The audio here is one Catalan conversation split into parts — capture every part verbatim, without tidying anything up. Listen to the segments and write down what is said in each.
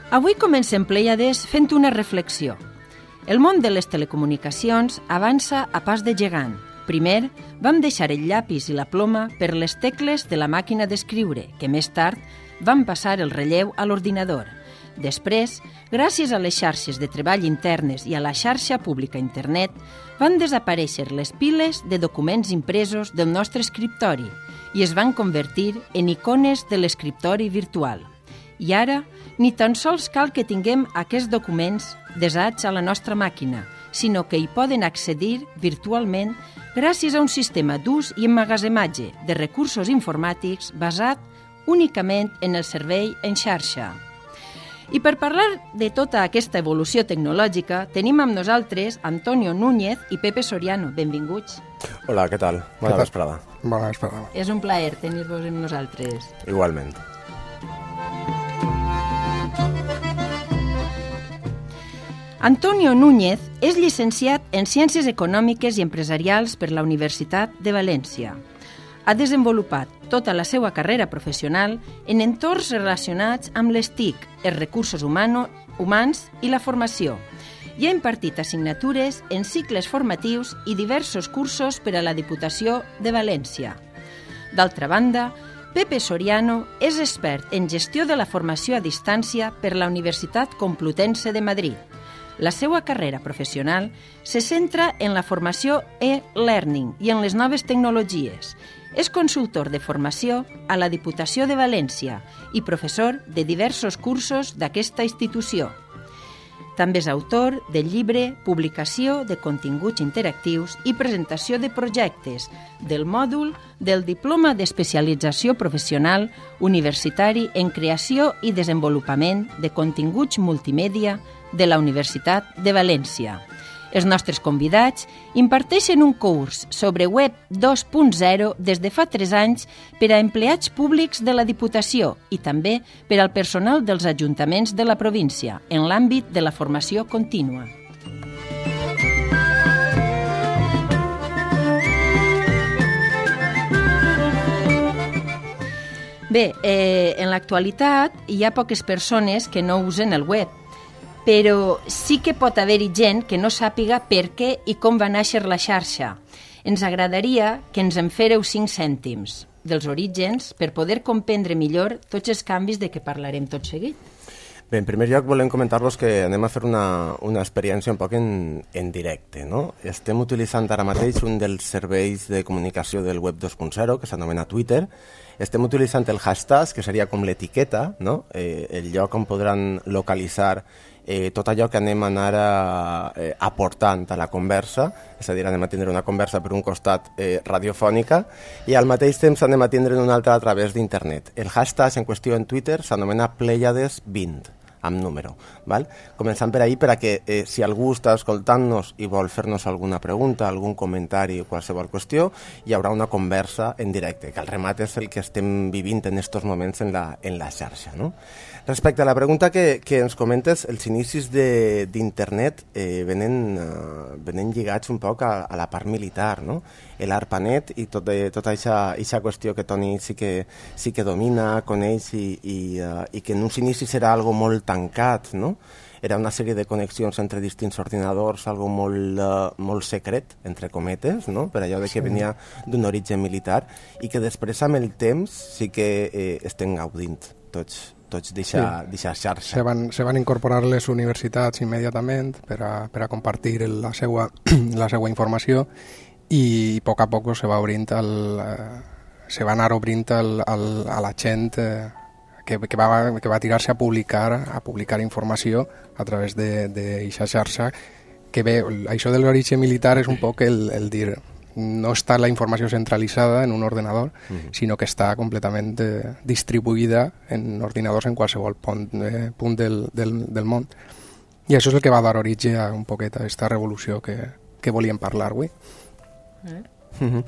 Avui comencem Plèiades fent una reflexió. El món de les telecomunicacions avança a pas de gegant. Primer, vam deixar el llapis i la ploma per les tecles de la màquina d'escriure, que més tard van passar el relleu a l'ordinador. Després, gràcies a les xarxes de treball internes i a la xarxa pública internet, van desaparèixer les piles de documents impresos del nostre escriptori i es van convertir en icones de l'escriptori virtual. I ara, ni tan sols cal que tinguem aquests documents desats a la nostra màquina, sinó que hi poden accedir virtualment gràcies a un sistema d'ús i emmagatzematge de recursos informàtics basat únicament en el servei en xarxa. I per parlar de tota aquesta evolució tecnològica, tenim amb nosaltres Antonio Núñez i Pepe Soriano. Benvinguts. Hola, què tal? Bona vesprada. Bona vesprada. És un plaer tenir-vos amb nosaltres. Igualment. Antonio Núñez és llicenciat en Ciències Econòmiques i Empresarials per la Universitat de València. Ha desenvolupat tota la seva carrera professional en entorns relacionats amb les T I C, els recursos humano, humans i la formació, i ha impartit assignatures en cicles formatius i diversos cursos per a la Diputació de València. D'altra banda, Pepe Soriano és expert en gestió de la formació a distància per la Universitat Complutense de Madrid. La seva carrera professional se centra en la formació e-learning i en les noves tecnologies. És consultor de formació a la Diputació de València i professor de diversos cursos d'aquesta institució. També és autor del llibre Publicació de continguts interactius i presentació de projectes del mòdul del Diploma d'Especialització Professional Universitari en Creació i Desenvolupament de Continguts Multimèdia de la Universitat de València. Els nostres convidats imparteixen un curs sobre web dos punt zero des de fa tres anys per a empleats públics de la Diputació i també per al personal dels ajuntaments de la província en l'àmbit de la formació contínua. Bé, eh, en l'actualitat hi ha poques persones que no usen el web, però sí que pot haver-hi gent que no sàpiga per què i com va néixer la xarxa. Ens agradaria que ens en féreu cinc cèntims dels orígens per poder comprendre millor tots els canvis de què parlarem tot seguit. Bé, en primer lloc volem comentar-vos que anem a fer una, una experiència un poc en, en directe, no? Estem utilitzant ara mateix un dels serveis de comunicació del web dos punt zero, que s'anomena Twitter. Estem utilitzant el hashtag, que seria com l'etiqueta, no? Eh, el lloc on podran localitzar eh, tot allò que anem a anar a, eh, aportant a la conversa, és a dir, anem a tindre una conversa per un costat eh, radiofònica i al mateix temps anem a tindre un altre a través d'internet. El hashtag en qüestió en Twitter s'anomena Plèiades vint, amb número. Val? Començant per ahir, per a que eh, si algú està escoltant-nos i vol fer-nos alguna pregunta, algun comentari o qualsevol qüestió, hi haurà una conversa en directe, que al remat és el que estem vivint en aquests moments en la, en la xarxa. No? Respecte a la pregunta que, que ens comentes, els inicis d'internet eh, venen, uh, venen lligats un poc a, a la part militar, no? l'ARPANET i tot, eh, tota aquesta qüestió que Toni sí que, sí que domina, coneix i, i, uh, i que en uns inicis era algo molt tancat, no? Era una sèrie de connexions entre distints ordinadors, algo molt, uh, molt secret, entre cometes, no? Per allò de que venia d'un origen militar i que després amb el temps sí que eh, estem gaudint tots, tots d'aquesta sí. xarxa. Se van, se van incorporar les universitats immediatament per a, per a compartir la seva, la seva informació i a poc a poc se va obrint el, eh, se va anar obrint el, el, a la gent eh, que, que, va, que va tirar-se a publicar a publicar informació a través d'aquesta xarxa, que bé, això de l'origen militar és un poc el, el dir no està la informació centralitzada en un ordenador, uh-huh. sinó que està completament eh, distribuïda en ordinadors en qualsevol punt, eh, punt del, del, del món. I això és el que va dar origen a un poquet a aquesta revolució que, que volíem parlar avui. Eh? Uh-huh.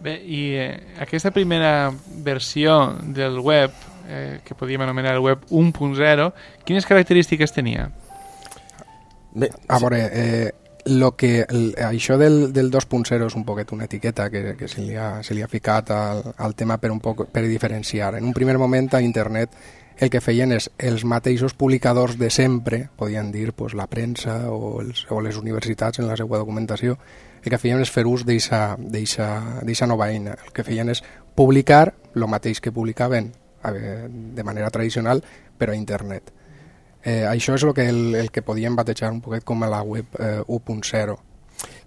Bé, i eh, aquesta primera versió del web, eh, que podíem anomenar el web un punt zero, quines característiques tenia? Bé, a veure, eh, lo que, el, això del, del dos punt zero és un poquet una etiqueta que, que se, li ha, se li ha ficat al, al tema per, un poc, per diferenciar. En un primer moment a internet el que feien és els mateixos publicadors de sempre, podien dir pues, la premsa o, els, o les universitats en la seva documentació, el que feien és fer ús d'aquesta nova eina. El que feien és publicar el mateix que publicaven de manera tradicional, però a internet. Eh, això és el que, el, el que podíem batejar un poquet com a la web eh, u punt zero.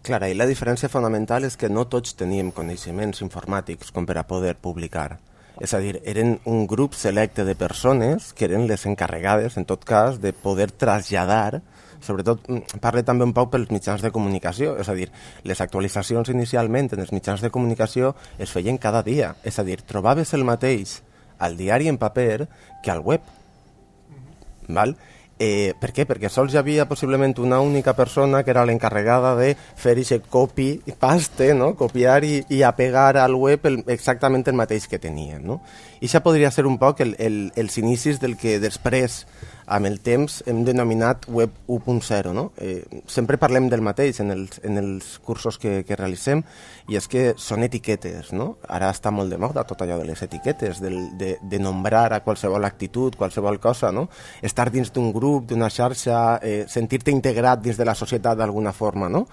Clar, i la diferència fonamental és que no tots teníem coneixements informàtics com per a poder publicar. És a dir, eren un grup selecte de persones que eren les encarregades, en tot cas, de poder traslladar, sobretot parle també un poc pels mitjans de comunicació, és a dir, les actualitzacions inicialment en els mitjans de comunicació es feien cada dia, és a dir, trobaves el mateix al diari en paper que al web. Val? Eh, per què? Perquè sols hi havia possiblement una única persona que era l'encarregada de fer aquest copy i paste, no? Copiar i, i apegar al web el, exactament el mateix que tenien, no? I això podria ser un poc el, el, els inicis del que després, amb el temps, hem denominat web u punt zero, no? Eh, sempre parlem del mateix en els, en els cursos que, que realitzem, i és que són etiquetes, no? Ara està molt de moda tot allò de les etiquetes, del, de, de nombrar a qualsevol actitud, qualsevol cosa, no? Estar dins d'un grup, d'una xarxa, eh, sentir-te integrat dins de la societat d'alguna forma, no?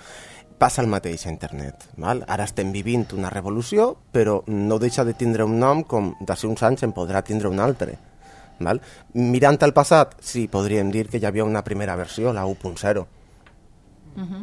Passa el mateix a internet. Val? Ara estem vivint una revolució, però no deixa de tindre un nom com d'ací uns anys en podrà tindre un altre. Val? Mirant al passat, sí, podríem dir que hi havia una primera versió, la u punt zero. Uh-huh.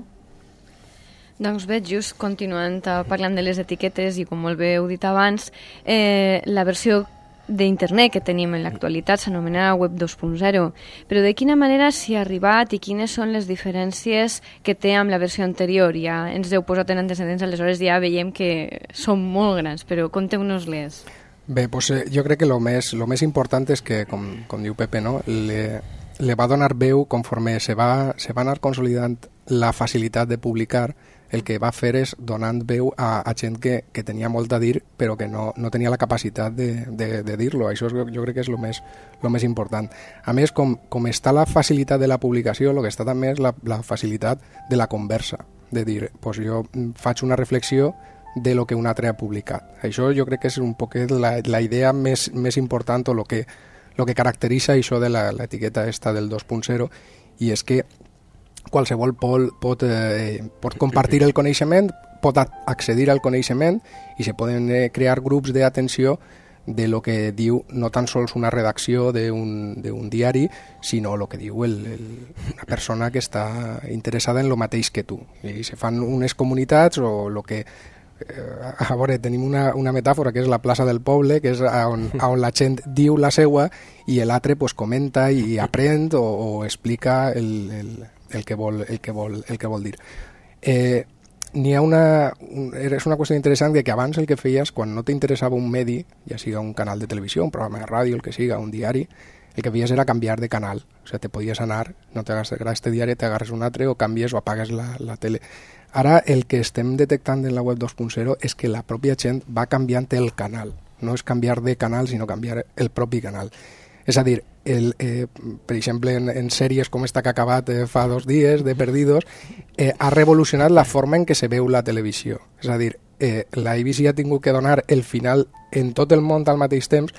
Doncs bé, just continuant parlant de les etiquetes i com molt bé heu dit abans, eh, la versió d'internet que tenim en l'actualitat s'anomena web dos punt zero, però de quina manera s'hi ha arribat i quines són les diferències que té amb la versió anterior? Ja ens heu posat en antecedents, aleshores ja veiem que són molt grans, però conteu-nos-les. Bé, doncs, eh, jo crec que el més, lo més important és que, com, com diu Pepe, no? le, le va donar veu conforme se va, se va anar consolidant la facilitat de publicar. El que va fer és donant veu a, a gent que, que tenia molt a dir però que no, no tenia la capacitat de, de, de dir-lo. Això és, jo crec que és el més, lo més important. A més, com, com està la facilitat de la publicació, el que està també és la, la facilitat de la conversa, de dir, pues jo faig una reflexió de lo que un altre ha publicat. Això jo crec que és un poquet la, la idea més, més important o lo que, lo que caracteritza això de l'etiqueta esta del dos punt zero, i és que qualsevol pot, pot, eh, pot compartir el coneixement, pot accedir al coneixement i se poden eh, crear grups d'atenció de lo que diu no tan sols una redacció d'un diari, sinó el que diu el, el, una persona que està interessada en el mateix que tu. I se fan unes comunitats o el que... Eh, a veure, tenim una, una metàfora que és la plaça del poble, que és on, on la gent diu la seua i l'altre pues, comenta i aprèn o, o explica el, el, el, que vol, el, que vol, el que vol dir. Eh, n'hi ha una, un, és una qüestió interessant de que abans el que feies, quan no t'interessava un medi, ja siga un canal de televisió, un programa de ràdio, el que siga, un diari, el que feies era canviar de canal. O sigui, te podies anar, no t'agrada este diari, t'agarres un altre o canvies o apagues la, la tele. Ara el que estem detectant en la web dos punt zero és que la pròpia gent va canviant el canal. No és canviar de canal, sinó canviar el propi canal. És a dir, el, eh, per exemple, en, en sèries com esta que ha acabat eh, fa dos dies, de Perdidos, eh, ha revolucionat la forma en què se veu la televisió. És a dir, eh, la A B C ha tingut que donar el final en tot el món al mateix temps,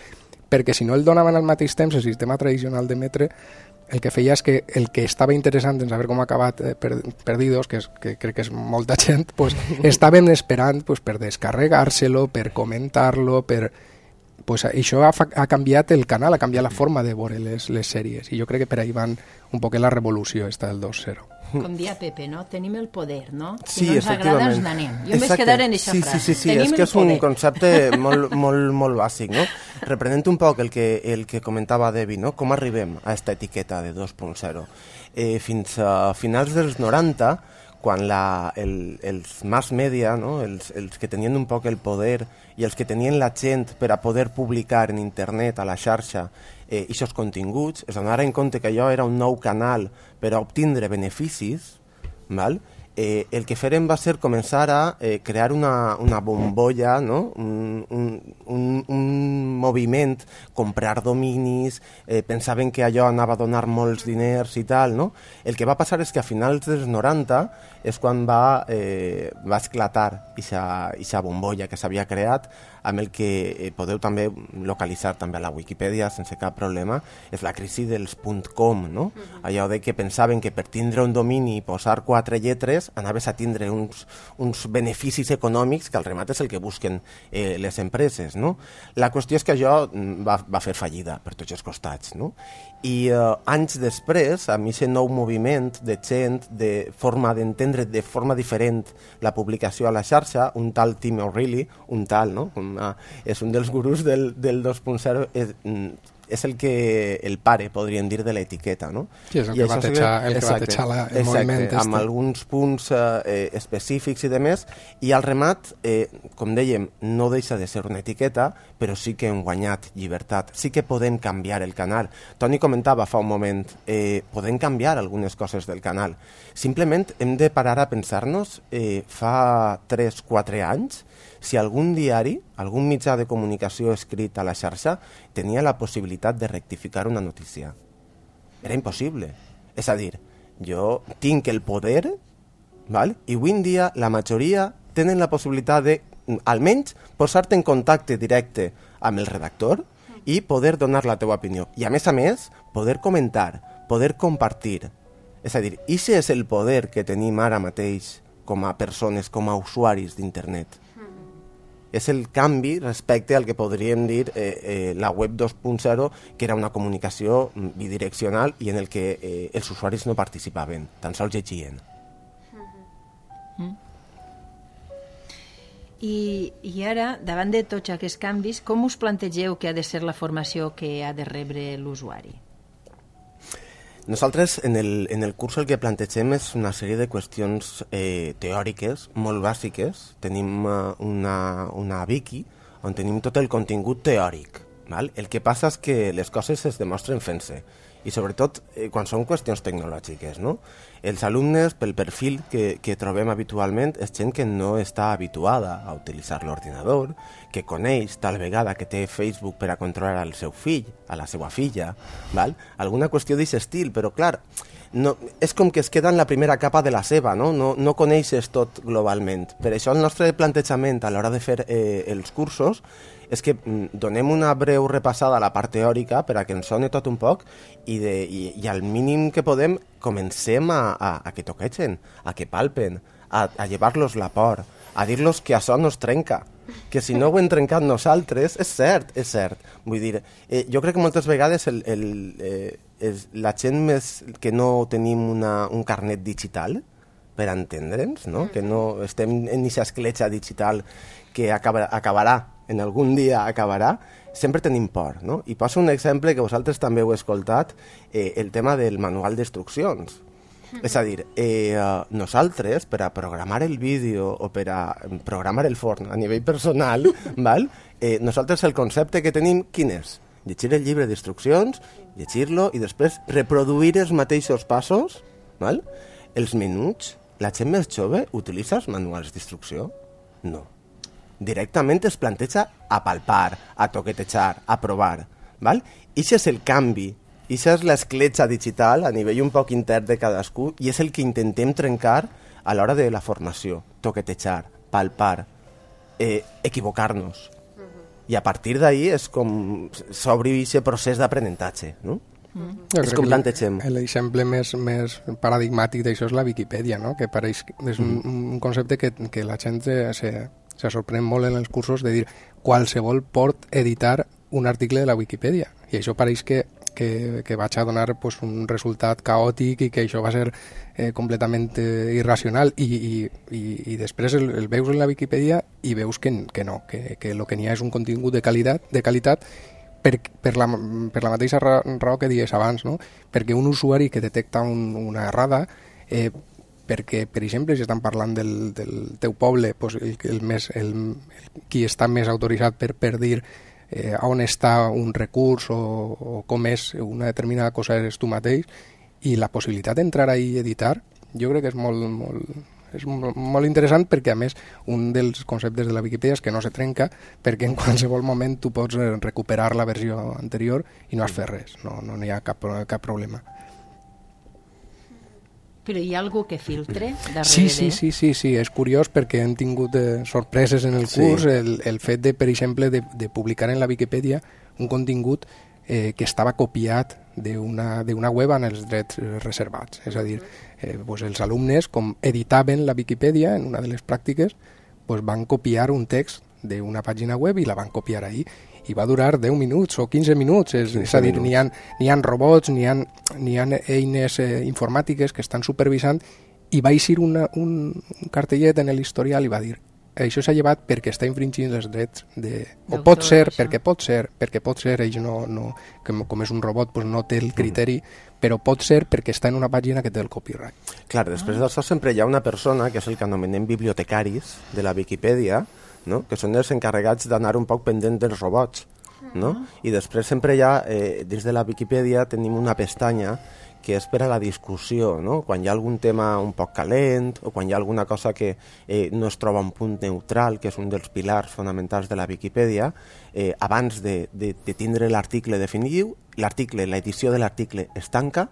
perquè si no el donaven al mateix temps, el sistema tradicional d'emetre, el que feia és que el que estava interessant en saber com ha acabat eh, per, Perdidos, que, és, que crec que és molta gent, pues, estàvem esperant pues, per descarregar-se-lo, per comentar-lo, per... Pues, això ha, ha canviat el canal, ha canviat la forma de veure les, les sèries, i jo crec que per ahí van un poc la revolució esta del dos zero. Com dia Pepe, no? Tenim el poder, no? Si sí, no ens agrada, ens n'anem. Jo em vaig quedar en aquesta sí, frase. Sí, sí, sí, Tenim és que és poder. un concepte molt, molt, molt bàsic, no? Reprenent un poc el que, el que comentava Debbie, no? Com arribem a esta etiqueta de dos punt zero? Eh, fins a finals dels noranta, quan la, el, els mass media, no? els, els que tenien un poc el poder i els que tenien la gent per a poder publicar en internet, a la xarxa, eh, aquests continguts, es donaren compte que allò era un nou canal per a obtindre beneficis, val? Eh, el que feren va ser començar a eh, crear una, una bombolla, no? un, un, un, un moviment, comprar dominis, eh, pensaven que allò anava a donar molts diners i tal, no? El que va passar és que a finals dels noranta és quan va, eh, va esclatar aquesta bombolla que s'havia creat, amb el que eh, podeu també localitzar també a la Wikipedia sense cap problema, és la crisi dels .com, no? Uh-huh. Allò de que pensaven que per tindre un domini i posar quatre lletres anaves a tindre uns, uns beneficis econòmics que al remat és el que busquen eh, les empreses, no? La qüestió és que això va, va fer fallida per tots els costats, no? I eh, anys després, amb aquest nou moviment de gent, de forma d'entendre de forma diferent la publicació a la xarxa, un tal Tim O'Reilly, un tal, no? Una, és un dels gurús del, del dos punt zero, és, és el que el pare, podríem dir, de l'etiqueta, no? Sí, és el I que va teixar, el que va teixar la, el exacte, moviment. Exacte, amb alguns punts eh, específics i demés, i al remat, eh, com dèiem, no deixa de ser una etiqueta, però sí que hem guanyat llibertat, sí que podem canviar el canal. Toni comentava fa un moment, eh, podem canviar algunes coses del canal. Simplement hem de parar a pensar-nos, eh, fa tres quatre anys, si algun diari, algun mitjà de comunicació escrit a la xarxa tenia la possibilitat de rectificar una notícia. Era impossible. És a dir, jo tinc el poder, val? I avui en dia la majoria tenen la possibilitat de, almenys, posar-te en contacte directe amb el redactor i poder donar la teva opinió. I a més a més, poder comentar, poder compartir. És a dir, aquest és el poder que tenim ara mateix com a persones, com a usuaris d'internet. És el canvi respecte al que podríem dir eh, eh, la web dos punt zero, que era una comunicació bidireccional i en el que eh, els usuaris no participaven, tan sols llegien. Mm. I, I ara, davant de tots aquests canvis, com us plantegeu que ha de ser la formació que ha de rebre l'usuari? Nosaltres en el, en el curs el que plantegem és una sèrie de qüestions eh, teòriques molt bàsiques. Tenim uh, una, una wiki on tenim tot el contingut teòric. Val? El que passa és que les coses es demostren fent-se i sobretot eh, quan són qüestions tecnològiques, no? Els alumnes, pel perfil que, que trobem habitualment, és gent que no està habituada a utilitzar l'ordinador, que coneix tal vegada que té Facebook per a controlar el seu fill, a la seva filla, val? Alguna qüestió d'aquest estil, però clar, no, és com que es queda en la primera capa de la seva, no? No, no coneixes tot globalment. Per això el nostre plantejament a l'hora de fer eh, els cursos és que donem una breu repassada a la part teòrica per a que ens soni tot un poc i, de, i, i al mínim que podem comencem a, a, a que toquegen, a que palpen, a, a llevar-los la por, a dir-los que això no es trenca, que si no ho hem trencat nosaltres, és cert, és cert. Vull dir, eh, jo crec que moltes vegades el, el, eh, és la gent més que no tenim una, un carnet digital per entendre'ns, no? Que no estem en aquesta escletxa digital que acaba, acabarà en algun dia acabarà, sempre tenim por, no? I poso un exemple que vosaltres també heu escoltat, eh, el tema del manual d'instruccions. Mm-hmm. És a dir, eh, nosaltres, per a programar el vídeo o per a programar el forn a nivell personal, val? Eh, nosaltres el concepte que tenim, quin és? Llegir el llibre d'instruccions, llegir-lo i després reproduir els mateixos passos, val? Els menuts, la gent més jove utilitza els manuals d'instrucció? No. Directament es planteja a palpar, a toquetejar, a provar. Val? Ixe és el canvi, ixa és l'escletxa digital a nivell un poc intern de cadascú i és el que intentem trencar a l'hora de la formació. Toquetejar, palpar, eh, equivocar-nos. I a partir d'ahí és com s'obri aquest procés d'aprenentatge, no? Jo és com plantegem. L'exemple més, més paradigmàtic d'això és la Viquipèdia, no? Que pareix, és un, un concepte que, que la gent se, se, se sorprèn molt en els cursos de dir qualsevol pot editar un article de la Viquipèdia i això pareix que, que, que vaig a donar pues, un resultat caòtic i que això va ser eh, completament eh, irracional i, i, i, i després el, el veus en la Viquipèdia i veus que, que no, que, que el que n'hi ha és un contingut de qualitat, de qualitat Per, per, la, per la mateixa raó que dies abans, no? Perquè un usuari que detecta un, una errada, eh, perquè, per exemple, si estan parlant del, del teu poble, pues el, el més, el, el, qui està més autoritzat per, per dir eh, on està un recurs o, o com és una determinada cosa és tu mateix, i la possibilitat d'entrar ahí i editar, jo crec que és molt, molt, és molt interessant perquè, a més, un dels conceptes de la Viquipèdia és que no se trenca, perquè en qualsevol moment tu pots recuperar la versió anterior i no has fet res, no, no hi ha cap, cap problema. Però hi ha algú que filtre darrere? Sí, sí, sí, sí, sí, és curiós perquè hem tingut eh, sorpreses en el curs, sí. el, el fet de, per exemple, de, de publicar en la Viquipèdia un contingut eh, que estava copiat d'una d'una web amb els drets reservats. És a dir, eh, pues els alumnes, com editaven la Viquipèdia en una de les pràctiques, pues van copiar un text d'una pàgina web i la van copiar ahí. I va durar deu minuts o quinze minuts, és, és a dir, n'hi ha, n'hi ha robots, n'hi ha, n'hi ha eines eh, informàtiques que estan supervisant, i va eixir una, un, un cartellet en l'historial i va dir això s'ha llevat perquè està infringint els drets de... o pot ser, això. perquè pot ser, perquè pot ser, ells no, no, com, com és un robot pues no té el criteri, mm. però pot ser perquè està en una pàgina que té el copyright. Clar, després ah. d'això sempre hi ha una persona, que és el que anomenem bibliotecaris de la Viquipèdia, no? Que són els encarregats d'anar un poc pendent dels robots, no? I després sempre hi ha, eh, dins de la Viquipèdia tenim una pestanya que és per a la discussió, no? Quan hi ha algun tema un poc calent o quan hi ha alguna cosa que eh, no es troba un punt neutral, que és un dels pilars fonamentals de la Viquipèdia, eh, abans de, de, de tindre l'article definitiu, l'article, l'edició de l'article es tanca,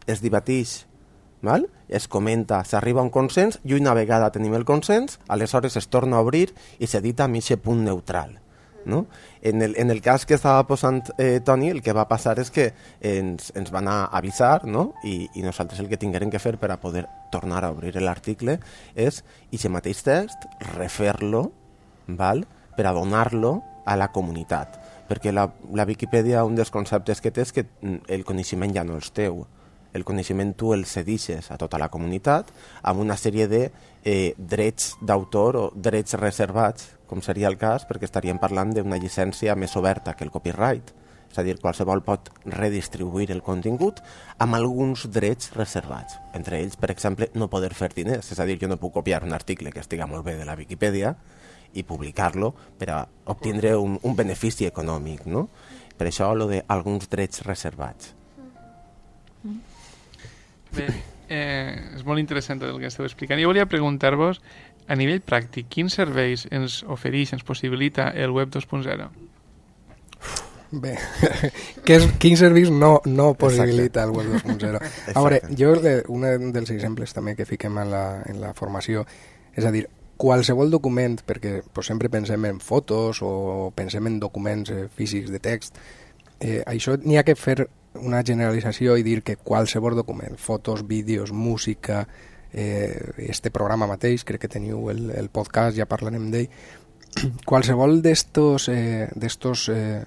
es debateix, val? Es comenta, s'arriba a un consens i una vegada tenim el consens, aleshores es torna a obrir i s'edita amb aquest punt neutral. No? En, el, en el cas que estava posant eh, Toni, el que va passar és que ens, ens van a avisar, no? I, i nosaltres el que tinguérem que fer per a poder tornar a obrir l'article és, i aquest mateix text, refer-lo, val? Per a donar-lo a la comunitat, perquè la, la Viquipèdia, un dels conceptes que té és que el coneixement ja no és teu, el coneixement tu el cedixes a tota la comunitat amb una sèrie de eh, drets d'autor o drets reservats, com seria el cas, perquè estaríem parlant d'una llicència més oberta que el copyright. És a dir, qualsevol pot redistribuir el contingut amb alguns drets reservats. Entre ells, per exemple, no poder fer diners. És a dir, jo no puc copiar un article que estiga molt bé de la Viquipèdia i publicar-lo per a obtindre un, un benefici econòmic, no? Per això, lo de alguns drets reservats. Bé, eh, és molt interessant el que esteu explicant. Jo volia preguntar-vos, a nivell pràctic, quins serveis ens ofereix, ens possibilita el web dos punt zero? Bé, que és, quins serveis no, no possibilita el web dos punt zero? A veure, jo un dels exemples també que fiquem en la, en la formació, és a dir, qualsevol document, perquè pues, sempre pensem en fotos o pensem en documents eh, físics de text, eh, això n'hi ha que fer una generalització i dir que qualsevol document, fotos, vídeos, música, eh, este programa mateix, crec que teniu el, el podcast, ja parlarem d'ell, qualsevol d'estos eh, d'estos eh,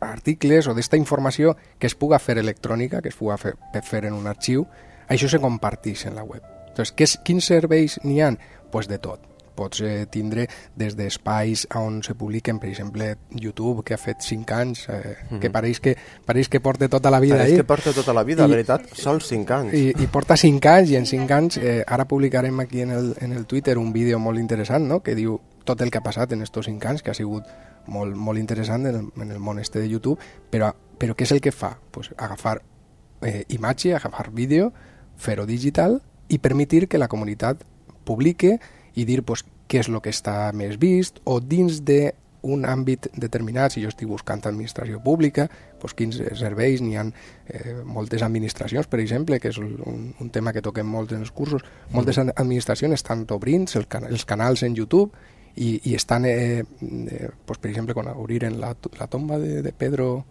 articles o d'esta informació que es puga fer electrònica, que es puga fer, fer en un arxiu, això se comparteix en la web. Entonces, què, quins serveis n'hi ha? Pues de tot. Pots eh, tindre des d'espais on se publiquen, per exemple, YouTube, que ha fet cinc anys, eh, mm-hmm. que pareix que pareix que porta tota la vida pareix ahí. que porta tota la vida, I, veritat, sols cinc anys. I, i porta cinc anys, i en cinc anys, eh, ara publicarem aquí en el, en el Twitter un vídeo molt interessant, no?, que diu tot el que ha passat en estos cinc anys, que ha sigut molt, molt interessant en el, en el món este de YouTube, però, però què és el que fa? Pues agafar eh, imatge, agafar vídeo, fer-ho digital i permetir que la comunitat publique i dir pues, què és el que està més vist, o dins d'un àmbit determinat, si jo estic buscant administració pública, pues, quins serveis, n'hi ha eh, moltes administracions, per exemple, que és un, un tema que toquem molt en els cursos, moltes administracions estan obrint el can els canals en YouTube i, i estan, eh, eh, pues, per exemple, quan obriren la, la tomba de, de Pedro,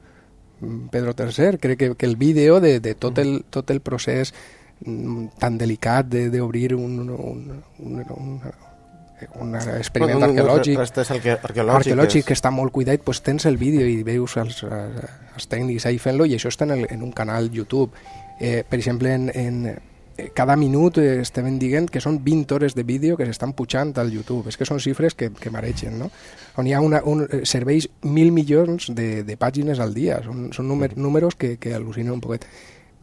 Pedro tercer, crec que, que el vídeo de, de tot, el, tot el procés tan delicat d'obrir un, un, un, un, un experiment bueno, arqueològic, arqueològic, arqueològic que està molt cuidat, pues tens el vídeo i veus els, els tècnics ahí fent-lo, i això està en, el, en un canal YouTube. Eh, per exemple, en, en cada minut eh, estem dient que són vint hores de vídeo que s'estan pujant al YouTube. És que són xifres que, que maregen, no? On hi ha una, un, serveis mil milions de, de pàgines al dia. Són, són númer, números que, que al·lucinen un poquet.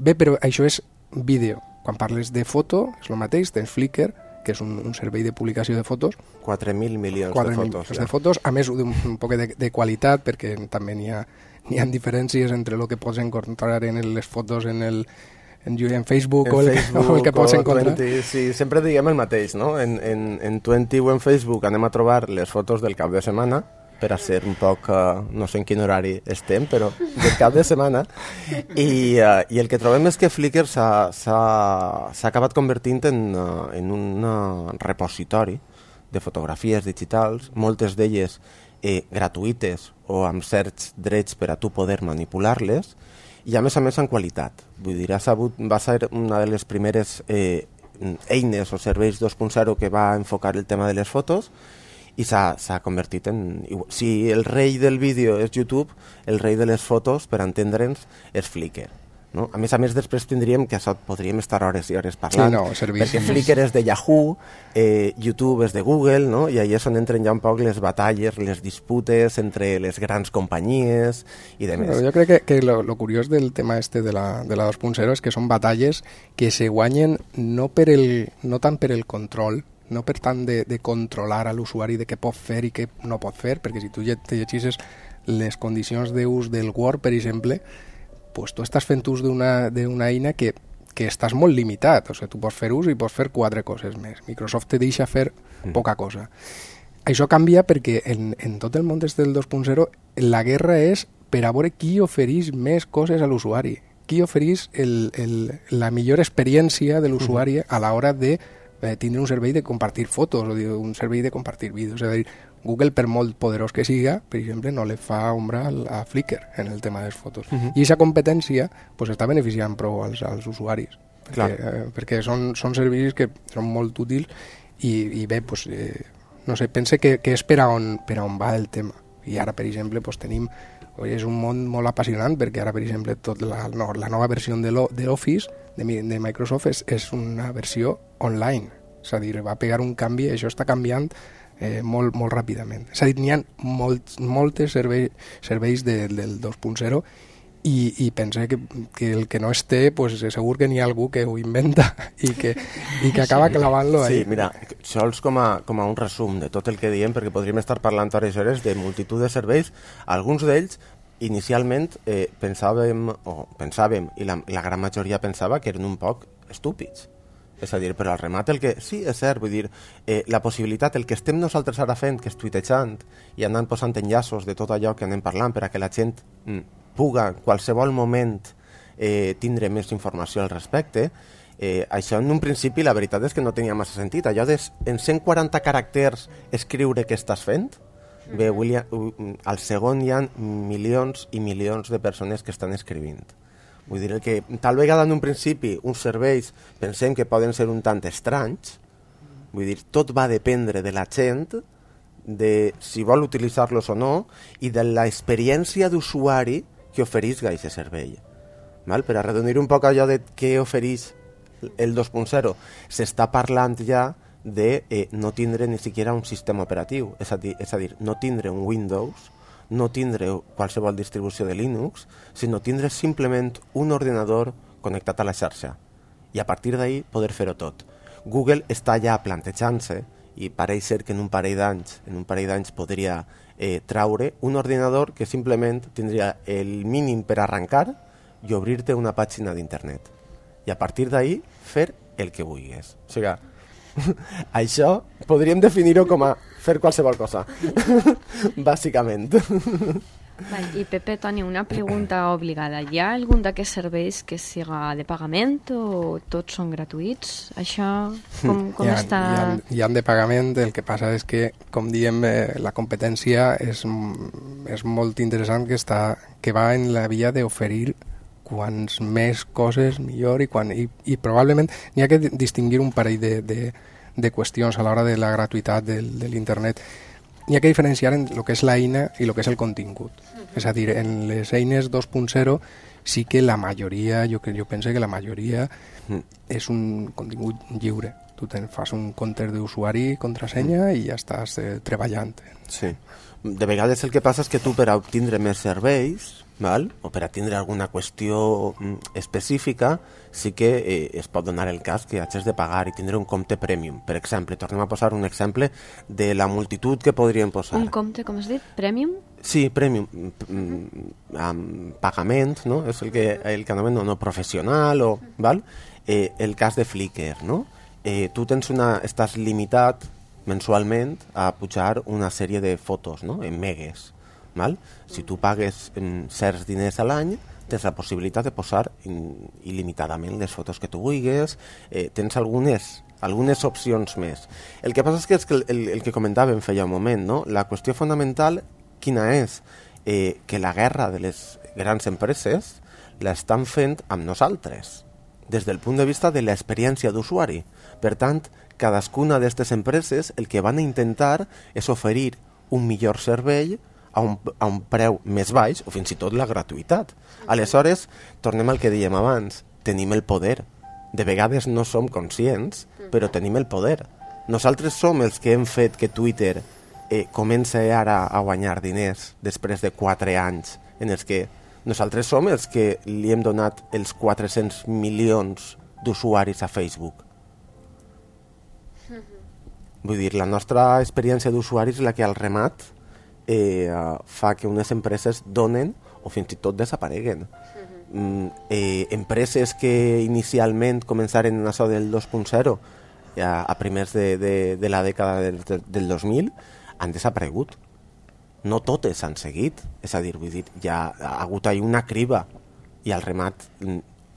Bé, però això és vídeo. Quan parles de foto, és el mateix, tens Flickr, que és un, un servei de publicació de fotos. quatre mil milions quatre de fotos. Ja. de fotos, a més d'un un poc de, de qualitat, perquè també n'hi ha, n'hi ha diferències entre el que pots encontrar en les fotos en el, en, en Facebook, en o, el, Facebook o el que pots o encontrar. twenty, sí, sempre diguem el mateix, no? En, en, en twenty o en Facebook anem a trobar les fotos del cap de setmana, per a ser un poc, uh, no sé en quin horari estem, però del cap de setmana, i, uh, i el que trobem és que Flickr s'ha acabat convertint en, uh, en un uh, repositori de fotografies digitals, moltes d'elles eh, gratuïtes o amb certs drets per a tu poder manipular-les, i a més a més en qualitat. Vull dir, ha sabut, va ser una de les primeres eh, eines o serveis dos punt zero que va enfocar el tema de les fotos, i s'ha convertit en... Si el rei del vídeo és YouTube, el rei de les fotos, per entendre'ns, és Flickr. No? A més a més, després tindríem que això podríem estar hores i hores parlant, sí, no, perquè Flickr és de Yahoo, eh, YouTube és de Google, no? I ahí és on entren ja un poc les batalles, les disputes entre les grans companyies i demés. Però jo crec que, que lo, lo curiós del tema este de la, de la dos punt zero és que són batalles que se guanyen no, per el, no tant per el control, no per tant de, de controlar a l'usuari de què pot fer i què no pot fer, perquè si tu te llegisses les condicions d'ús del Word, per exemple, pues tu estàs fent ús d'una eina que, que estàs molt limitat, o sigui, tu pots fer ús i pots fer quatre coses més. Microsoft te deixa fer mm. poca cosa. Això canvia perquè en, en tot el món des del dos punt zero la guerra és per a veure qui ofereix més coses a l'usuari, qui ofereix el, el, la millor experiència de l'usuari a l'hora de eh, tindre un servei de compartir fotos o de, un servei de compartir vídeos. És a dir, Google, per molt poderós que siga, per exemple, no le fa ombra a Flickr en el tema de les fotos. Uh-huh. I aquesta competència pues, està beneficiant prou als, als usuaris, perquè, eh, perquè són, són serveis que són molt útils i, i bé, pues, eh, no sé, pense que, que és per a, on, per a on va el tema. I ara, per exemple, pues, tenim... És un món molt apassionant perquè ara, per exemple, tot la, no, la nova versió de l'Office de, de Microsoft és, és una versió online. És a dir, va pegar un canvi, això està canviant Eh, molt, molt ràpidament. És a dir, n'hi ha molt, moltes serveis, serveis de, del dos punt zero i, i pense que, que el que no es té, pues, segur que n'hi ha algú que ho inventa i que, i que acaba clavant-lo ahí. Sí, mira, sols com a, com a un resum de tot el que diem, perquè podríem estar parlant hores i hores de multitud de serveis. Alguns d'ells, inicialment, eh, pensàvem, o pensàvem, i la, la gran majoria pensava que eren un poc estúpids. És a dir, però al remat el que... Sí, és cert, vull dir, eh, la possibilitat, el que estem nosaltres ara fent, que és tuitejant i anant posant enllaços de tot allò que anem parlant per a que la gent mm, puga en qualsevol moment eh, tindre més informació al respecte, eh, això en un principi la veritat és que no tenia massa sentit. Allò de en cent quaranta caràcters escriure què estàs fent, bé, William, al segon hi ha milions i milions de persones que estan escrivint. Vull dir, que tal vegada en un principi uns serveis pensem que poden ser un tant estranys, vull dir, tot va dependre de la gent, de si vol utilitzar-los o no, i de l'experiència d'usuari que ofereix aquest servei. Val? Per arredonir un poc allò de què ofereix el dos punt zero, s'està parlant ja de eh, no tindre ni siquiera un sistema operatiu, és a dir, és a dir no tindre un Windows, no tindre qualsevol distribució de Linux, sinó tindre simplement un ordinador connectat a la xarxa i a partir d'ahí poder fer-ho tot. Google està ja plantejant-se i pareix ser que en un parell d'anys en un parell d'anys podria eh, traure un ordinador que simplement tindria el mínim per arrencar i obrir-te una pàgina d'internet i a partir d'ahí fer el que vulguis. O sigui, això podríem definir-ho com a fer qualsevol cosa, bàsicament. Vale, i Pepe, Toni, una pregunta obligada. Hi ha algun d'aquests serveis que siga de pagament o tots són gratuïts? Això com, com hi ha, està? Hi ha, hi ha de pagament, el que passa és que, com diem, eh, la competència és, és molt interessant, que, està, que va en la via d'oferir quants més coses millor i, quan, i, i probablement n'hi ha que distingir un parell de, de, de qüestions a l'hora de la gratuïtat del, de l'internet. N'hi ha que diferenciar en el que és l'eina i el que és el contingut. Uh-huh. És a dir, en les eines dos punt zero sí que la majoria, jo, jo penso que la majoria uh-huh. és un contingut lliure. Tu te'n fas un compte d'usuari, contrasenya uh-huh. i ja estàs eh, treballant. Sí. De vegades el que passa és que tu per a obtindre més serveis, val? O per a tindre alguna qüestió específica, sí que eh, es pot donar el cas que hagis de pagar i tindre un compte premium. Per exemple, tornem a posar un exemple de la multitud que podríem posar. Un compte, com has dit? Premium? Sí, premium, amb pagament, no? És el que, el que anomenen no professional, o, val? Eh, el cas de Flickr, no? Eh, tu tens una, estàs limitat mensualment a pujar una sèrie de fotos, no? En megues, val? Si tu pagues en certs diners a l'any, tens la possibilitat de posar il·limitadament les fotos que tu vulguis, eh, tens algunes algunes opcions més. El que passa és que, és que el, el, el que comentàvem feia un moment, no? La qüestió fonamental quina és? Eh, que la guerra de les grans empreses l'estan fent amb nosaltres, des del punt de vista de l'experiència d'usuari. Per tant, cadascuna d'aquestes empreses el que van a intentar és oferir un millor servei a un, a un preu més baix, o fins i tot la gratuïtat. Aleshores, tornem al que dèiem abans, tenim el poder. De vegades no som conscients, però tenim el poder. Nosaltres som els que hem fet que Twitter eh, comença ara a guanyar diners després de quatre anys en els que nosaltres som els que li hem donat els quatre-cents milions d'usuaris a Facebook. Vull dir, la nostra experiència d'usuari és la que al remat eh, fa que unes empreses donen o fins i tot desapareguen. Mm, eh, empreses que inicialment començaren en això del dos punt zero a, a primers de, de, de la dècada del, del dos mil han desaparegut. No totes han seguit, és a dir, vull dir, hi ha, ha hagut ahí una criba i al remat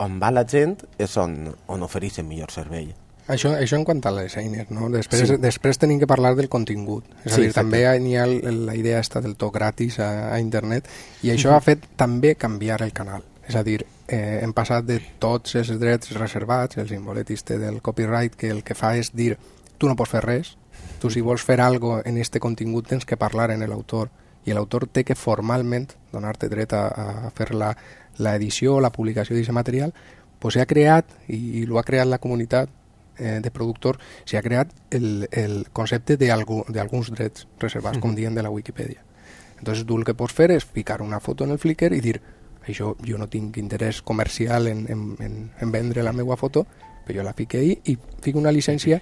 on va la gent és on, on ofereixen millor servei. Això, això en quant a les eines, no? Després, Sí. després tenim que parlar del contingut. És a Sí, dir, exacte. també hi ha el- la idea esta del to gratis a, a internet i això ha fet també canviar el canal. És a dir, eh, hem passat de tots els drets reservats, el simbolet este del copyright, que el que fa és dir tu no pots fer res, tu si vols fer algo en este contingut tens que parlar en l'autor i l'autor té que formalment donar-te dret a, a fer la, la edició o la publicació d'aquest material, pues s'ha creat, i, i l'ho ha creat la comunitat eh, de productor, s'ha creat el, el concepte d'alguns drets reservats, com diem de la Wikipedia. Entonces tu el que pots fer és ficar una foto en el Flickr i dir això jo no tinc interès comercial en, en, en, en vendre la meva foto, però jo la fico ahí i fico una llicència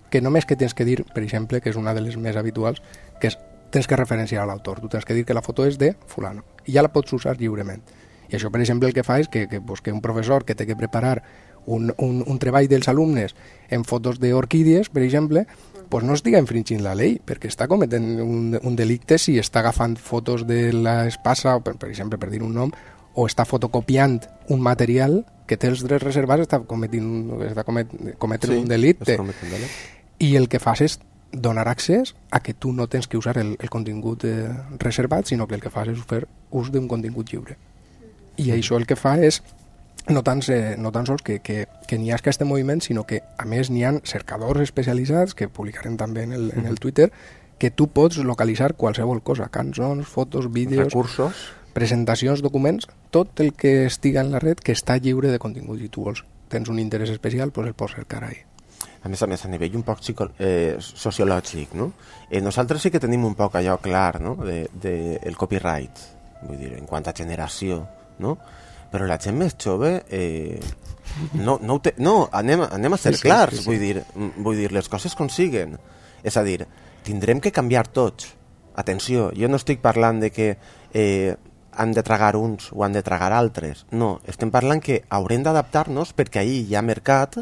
que només que tens que dir, per exemple, que és una de les més habituals, que és tens que referenciar a l'autor, tu tens que dir que la foto és de fulano, i ja la pots usar lliurement. I això, per exemple, el que fa és que, que, pues, que un professor que té que preparar un, un, un treball dels alumnes en fotos d'orquídies, per exemple, pues no estiga infringint la llei, perquè està cometent un, un delicte si està agafant fotos de l'espasa, per, per exemple, per dir un nom, o està fotocopiant un material que té els drets reservats, està cometint, està comet, cometent Sí, un delicte. és cometent un delicte. I el que fas és donar accés a que tu no tens que usar el, el contingut eh, reservat, sinó que el que fas és fer ús d'un contingut lliure. I això el que fa és no tan, eh, no tan sols que, que, que n'hi ha aquest moviment, sinó que a més n'hi ha cercadors especialitzats que publicarem també en el, en el Twitter, que tu pots localitzar qualsevol cosa, cançons, fotos, vídeos, Recursos. presentacions, documents, tot el que estiga en la red que està lliure de contingut i tu vols, tens un interès especial, doncs el pots cercar ahí. A més a més, a nivell un poc psico, eh, sociològic, no? Eh, nosaltres sí que tenim un poc allò clar, no?, de, de el copyright, vull dir, en quant a generació, no? Però la gent més jove eh, no, no, ho té, no anem, anem a ser Sí, sí, clars, sí, sí. Vull, dir, mm, vull dir, les coses com siguen. És a dir, tindrem que canviar tots. Atenció, jo no estic parlant de que eh, han de tragar uns o han de tragar altres. No, estem parlant que haurem d'adaptar-nos perquè ahir hi ha mercat,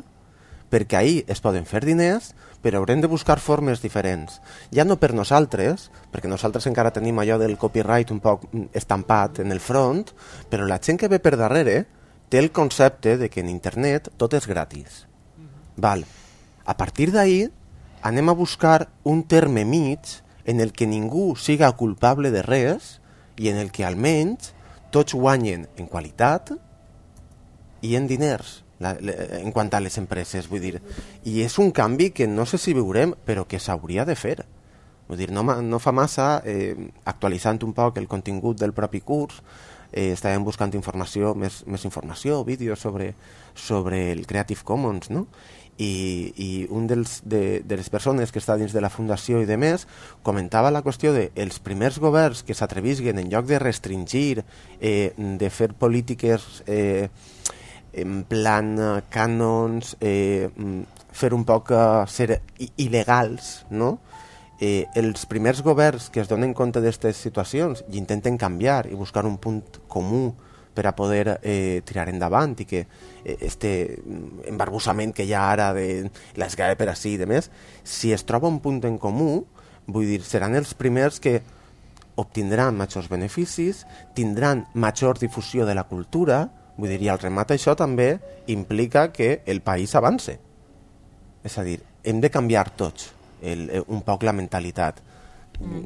perquè ahir es poden fer diners, però haurem de buscar formes diferents. Ja no per nosaltres, perquè nosaltres encara tenim allò del copyright un poc estampat en el front, però la gent que ve per darrere té el concepte de que en internet tot és gratis. Val. A partir d'ahir anem a buscar un terme mig en el que ningú siga culpable de res i en el que almenys tots guanyen en qualitat i en diners. La, la, en quant a les empreses, vull dir, i és un canvi que no sé si veurem, però que s'hauria de fer. Vull dir, no, no fa massa, eh, actualitzant un poc el contingut del propi curs, eh, estàvem buscant informació, més, més informació, vídeos sobre, sobre el Creative Commons, no? I, i un dels, de, de les persones que està dins de la fundació i de més comentava la qüestió de els primers governs que s'atrevisguen en lloc de restringir, eh, de fer polítiques eh, en plan uh, cànons, eh, fer un poc uh, ser il·legals, no? eh, els primers governs que es donen compte d'aquestes situacions i intenten canviar i buscar un punt comú per a poder eh, tirar endavant i que eh, este embarbussament que hi ha ara de l'esgare per ací i de més, si es troba un punt en comú, vull dir, seran els primers que obtindran majors beneficis, tindran major difusió de la cultura, vull dir, i al remat això també implica que el país avance. És a dir, hem de canviar tots el, un poc la mentalitat. Mm.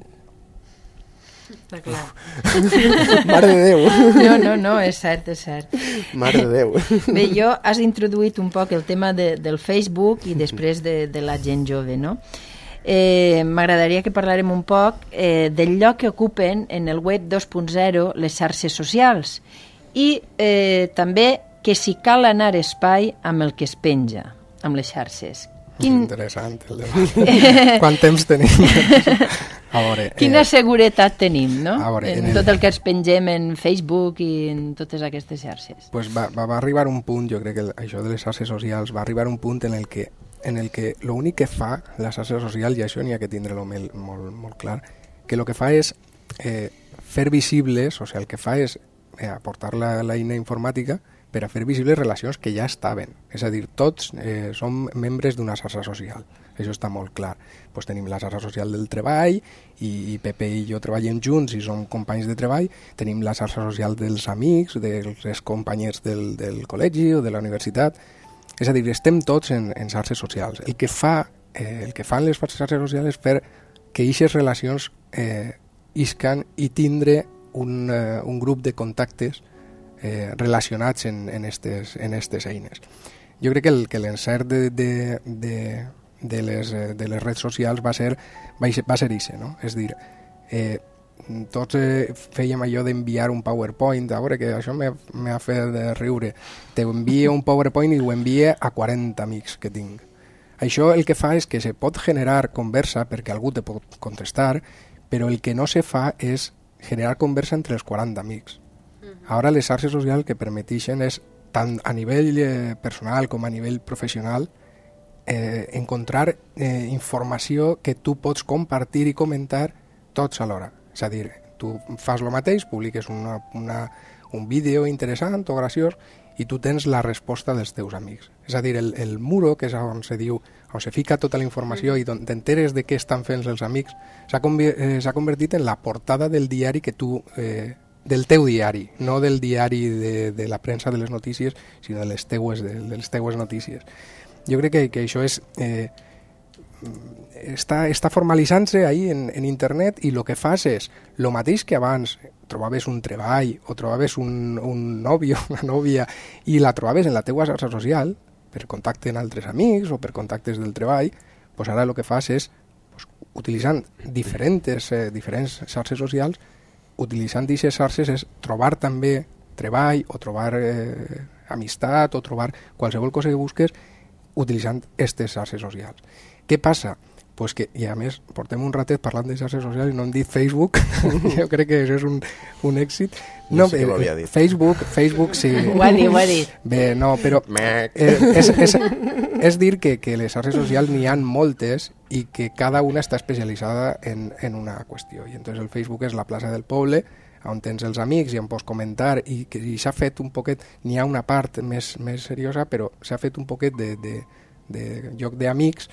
Està clar. Mare de Déu. No, no, no, és cert, és cert. Mare de Déu. Bé, jo has introduït un poc el tema de, del Facebook i després de, de la gent jove, no? Eh, m'agradaria que parlarem un poc eh, del lloc que ocupen en el web dos punt zero les xarxes socials i eh, també que si cal anar espai amb el que es penja, amb les xarxes. Quin... Interessant el debat. Quant temps tenim? A veure, Quina eh, seguretat tenim, no? veure, en, en el... tot el que ens pengem en Facebook i en totes aquestes xarxes. Pues va, va, va arribar un punt, jo crec que el, això de les xarxes socials va arribar un punt en el que en el que l'únic que fa la xarxa social, i això n'hi ha que tindre-lo molt, molt, molt clar, que el que fa és eh, fer visibles, o sigui, el que fa és eh, aportar la, la eina informàtica per a fer visibles relacions que ja estaven. És a dir, tots eh, som membres d'una xarxa social. Això està molt clar. Pues tenim la xarxa social del treball i, i Pepe i jo treballem junts i som companys de treball. Tenim la xarxa social dels amics, dels companys del, del col·legi o de la universitat. És a dir, estem tots en, en xarxes socials. El que fa, eh, el que fan les xarxes socials és fer que aquestes relacions eh, iscan i tindre un, eh, un grup de contactes eh, relacionats en, en, estes, en estes eines. Jo crec que, el, que l'encert de, de, de, de, les, de les redes socials va ser va ser, va ser ixe, no? És dir, eh, tots eh, fèiem allò d'enviar un PowerPoint, a veure que això m'ha fet riure, t'envia un PowerPoint i ho envia a quaranta amics que tinc. Això el que fa és que se pot generar conversa perquè algú te pot contestar, però el que no se fa és generar conversa entre els quaranta amics. Ara les xarxes socials que permeteixen és, tant a nivell eh, personal com a nivell professional, eh, encontrar eh, informació que tu pots compartir i comentar tots alhora. És a dir, tu fas el mateix, publiques una, una, un vídeo interessant o graciós i tu tens la resposta dels teus amics. És a dir, el, el muro, que és on se diu, on se fica tota la informació i on t'enteres de què estan fent els amics, s'ha eh, convertit en la portada del diari que tu... Eh, del teu diari, no del diari de, de la premsa de les notícies, sinó de les teues, de, de les teues notícies. Jo crec que, que això és... Eh, està, està formalitzant-se ahí en, en internet i el que fas és el mateix que abans trobaves un treball o trobaves un, un nòvio, una nòvia i la trobaves en la teua xarxa social per contacte amb altres amics o per contactes del treball, pues ara el que fas és pues, utilitzant diferents, eh, diferents xarxes socials, utilitzant aquestes xarxes és trobar també treball o trobar eh, amistat o trobar qualsevol cosa que busques utilitzant aquestes xarxes socials. Què passa? Pues que, i a més, portem un ratet parlant de xarxes socials i no hem dit Facebook. Jo crec que això és un, un èxit. No, no sé què m'havia dit. Facebook, Facebook sí. Ho ha dit, ho ha dit. Bé, no, però eh, és, és, és dir que, que les xarxes socials n'hi ha moltes i que cada una està especialitzada en, en una qüestió. I entonces el Facebook és la plaça del poble, on tens els amics i on pots comentar i, que, i s'ha fet un poquet, n'hi ha una part més, més seriosa, però s'ha fet un poquet de, de, de lloc d'amics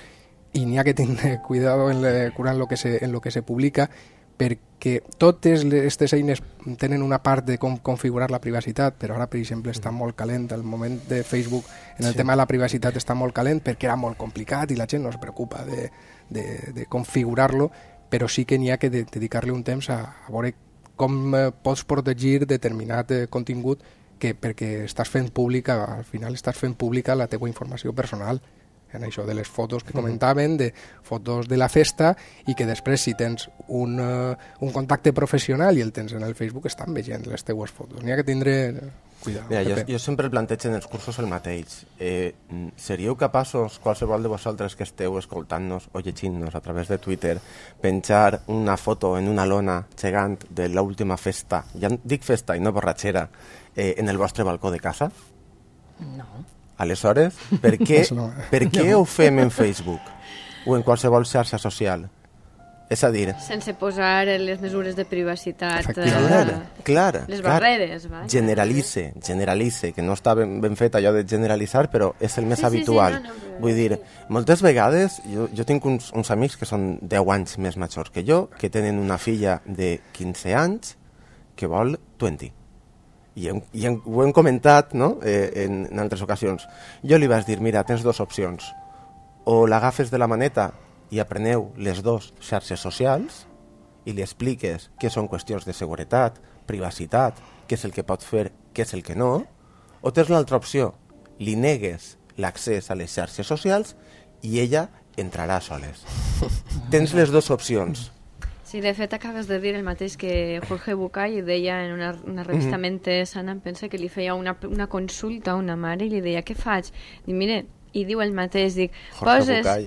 i n'hi ha que tenir cuidado en le, curant lo que se, en lo que se publica perquè totes aquestes eines tenen una part de com configurar la privacitat, però ara, per exemple, està molt calent. El moment de Facebook en el sí. tema de la privacitat està molt calent perquè era molt complicat i la gent no es preocupa de, de, de configurar-lo, però sí que n'hi ha que de, dedicar-li un temps a, a veure com eh, pots protegir determinat eh, contingut que perquè estàs fent pública, al final estàs fent pública la teva informació personal, en això de les fotos que comentaven, de fotos de la festa, i que després si tens un, uh, un contacte professional i el tens en el Facebook estan veient les teues fotos. N'hi ha que tindre cuidado. Mira, jo, jo sempre plantejo en els cursos el mateix. Eh, seríeu capaços, qualsevol de vosaltres que esteu escoltant-nos o llegint-nos a través de Twitter, penjar una foto en una lona gegant de l'última festa, ja dic festa i no borratxera, eh, en el vostre balcó de casa? No. Aleshores, per què, per què ho fem en Facebook o en qualsevol xarxa social? És a dir... Sense posar les mesures de privacitat, Clar, clar, les clar. barreres. Va? Generalitze, generalitze, que no està ben, ben fet allò de generalitzar, però és el més Sí, sí, sí, habitual. no, no, però- Vull dir, moltes vegades, jo, jo tinc uns, uns amics que són deu anys més majors que jo, que tenen una filla de quinze anys que vol vint. I, hem, i hem, ho hem comentat, no?, eh, en, en altres ocasions. Jo li vaig dir, mira, tens dues opcions. O l'agafes de la maneta i apreneu les dues xarxes socials i li expliques què són qüestions de seguretat, privacitat, què és el que pot fer, què és el que no, o tens l'altra opció, li negues l'accés a les xarxes socials i ella entrarà soles. Tens les dues opcions. Sí, de fet acabes de dir el mateix que Jorge Bucay deia en una, una revista mm -hmm. Mente Sana, em pensa que li feia una, una consulta a una mare i li deia, què faig? Dic, mire, i diu el mateix, dic, Jorge poses... Bucay.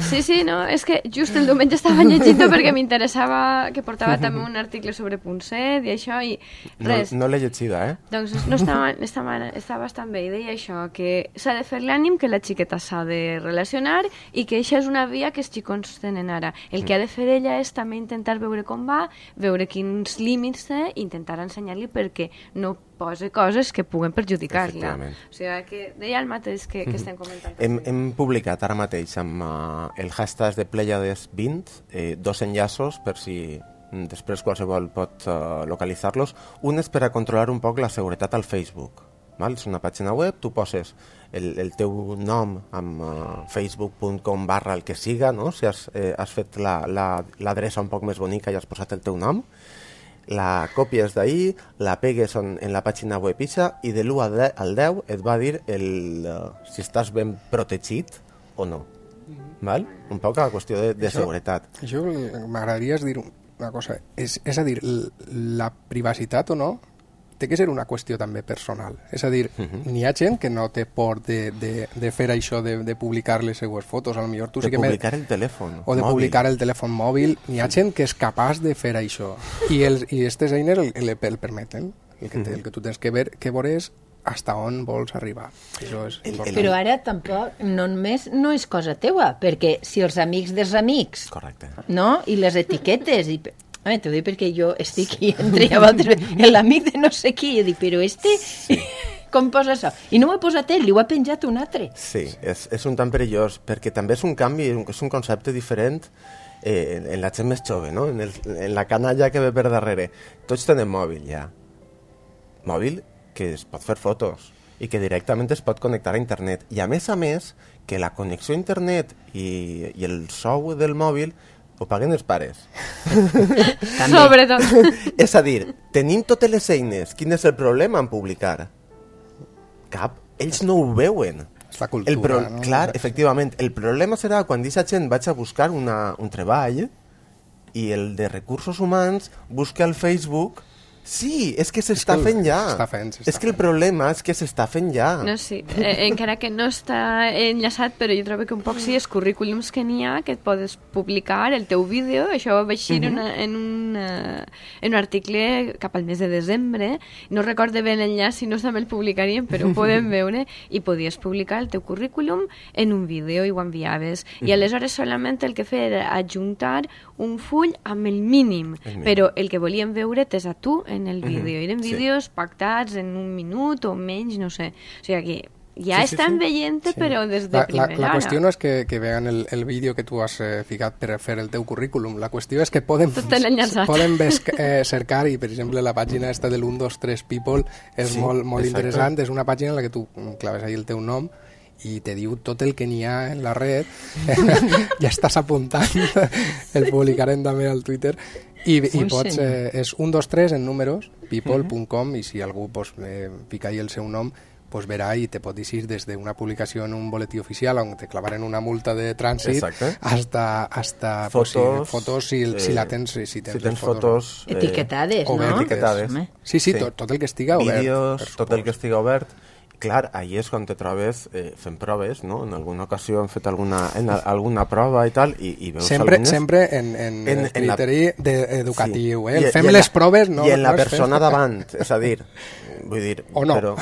Sí, sí, no, és que just el diumenge estava llegint perquè m'interessava, que portava també un article sobre Punset i això, i res. No, no l'he llegida, eh? Doncs no estava, estava, està bastant bé, i deia això, que s'ha de fer l'ànim que la xiqueta s'ha de relacionar i que això és una via que els xicons tenen ara. El que ha de fer ella és també intentar veure com va, veure quins límits té, i intentar ensenyar-li perquè no posa coses que puguen perjudicar-la. O sigui, que deia el mateix que, que estem comentant. Hem, hem publicat ara mateix amb uh, el hashtag de Pleiades vint eh, dos enllaços per si mm, després qualsevol pot uh, localitzar-los. Un és per a controlar un poc la seguretat al Facebook. Val? És una pàgina web, tu poses el, el teu nom amb uh, facebook punt com barra el que siga, no? Si has, eh, has fet l'adreça la, la, un poc més bonica i has posat el teu nom, la copies d'ahir, la pegues en, en la pàgina web ixa i de l'u al deu et va dir el, uh, si estàs ben protegit o no. Val? Un poc a la qüestió de, de això, seguretat. Això m'agradaria dir una cosa. És, és a dir, la privacitat o no té que ser una qüestió també personal. És a dir, uh -huh. n'hi ha gent que no té por de, de, de fer això, de, de publicar les seues fotos. A lo millor tu de sí que publicar me... el telèfon o de mòbil. publicar el telèfon mòbil. N'hi ha gent que és capaç de fer això. I els i aquestes eines el, el, el permeten. El que, te, el que tu tens que ver, que veure és hasta on vols arribar. Això és important. Però ara tampoc, no només no és cosa teua, perquè si els amics dels amics, correcte, no? I les etiquetes, i... A veure, t'ho dic perquè jo estic aquí entre vosaltres, l'amic de no sé qui, i dic, però este, sí. Com posa això? I no ho ha posat ell, li ho ha penjat un altre. Sí, és, és un tant perillós, perquè també és un canvi, és un concepte diferent eh, en, en la gent més jove, no? En, el, en la canalla que ve per darrere. Tots tenen mòbil, ja. Mòbil que es pot fer fotos i que directament es pot connectar a internet. I a més a més, que la connexió a internet i, i el sou del mòbil ho paguen els pares. Sobretot. És a dir, tenim totes les eines. Quin és el problema en publicar? Cap. Ells no ho veuen. És la cultura, el pro... no? Clar, efectivament. El problema serà quan aquesta gent vaig a buscar una, un treball i el de recursos humans busca al Facebook... Sí, és que s'està fent ja. S'està fent, s'està és que el problema és que s'està fent ja. No, sí. Eh, encara que no està enllaçat, però jo trobo que un poc sí, els currículums que n'hi ha, que et podes publicar, el teu vídeo, això va eixir uh -huh. una, en, un, uh, en un article cap al mes de desembre, no recorde bé l'enllaç, si no també el publicaríem, però ho podem veure, i podies publicar el teu currículum en un vídeo i ho enviaves. Uh -huh. I aleshores solament el que feia era adjuntar un full amb el mínim, el mínim. Però el que volíem veure és a tu en el vídeo. Eren vídeos sí. pactats en un minut o menys, no sé. O sigui que ja sí, sí, estan sí. veient, sí. però des de la, primera la, la qüestió no és que, que vean el, el vídeo que tu has eh, ficat per fer el teu currículum. La qüestió és que poden, poden eh, cercar, i per exemple la pàgina esta del un dos tres People és sí, molt, molt interessant. És una pàgina en la que tu claves ahí el teu nom i te diu tot el que n'hi ha en la red. Ja estàs apuntant. El publicarem també al Twitter. I, i pots, eh, és un dos tres en números, people punt com, uh -huh. i si algú pues, eh, fica ahí el seu nom, pues verà i te pot dir des d'una publicació en un boletí oficial on te clavaren una multa de trànsit hasta, hasta fotos, pues, si, fotos si, eh, si la tens, si, si tens, si tens fotos, fotos eh, etiquetades, no? Etiquetades. Sí, sí, sí. Tot, tot el que estiga obert. Vídeos, tot el que estiga obert. Clar, ahí és quan te trobes eh, fent proves, no? En alguna ocasió hem fet alguna, en a, alguna prova i tal, i, i veus sempre, alumnes... Sempre en, en, en el criteri la... de, educatiu, sí. eh? Fem les la, proves, no... I en no la persona fem... davant, és a dir, vull dir... O no. Però...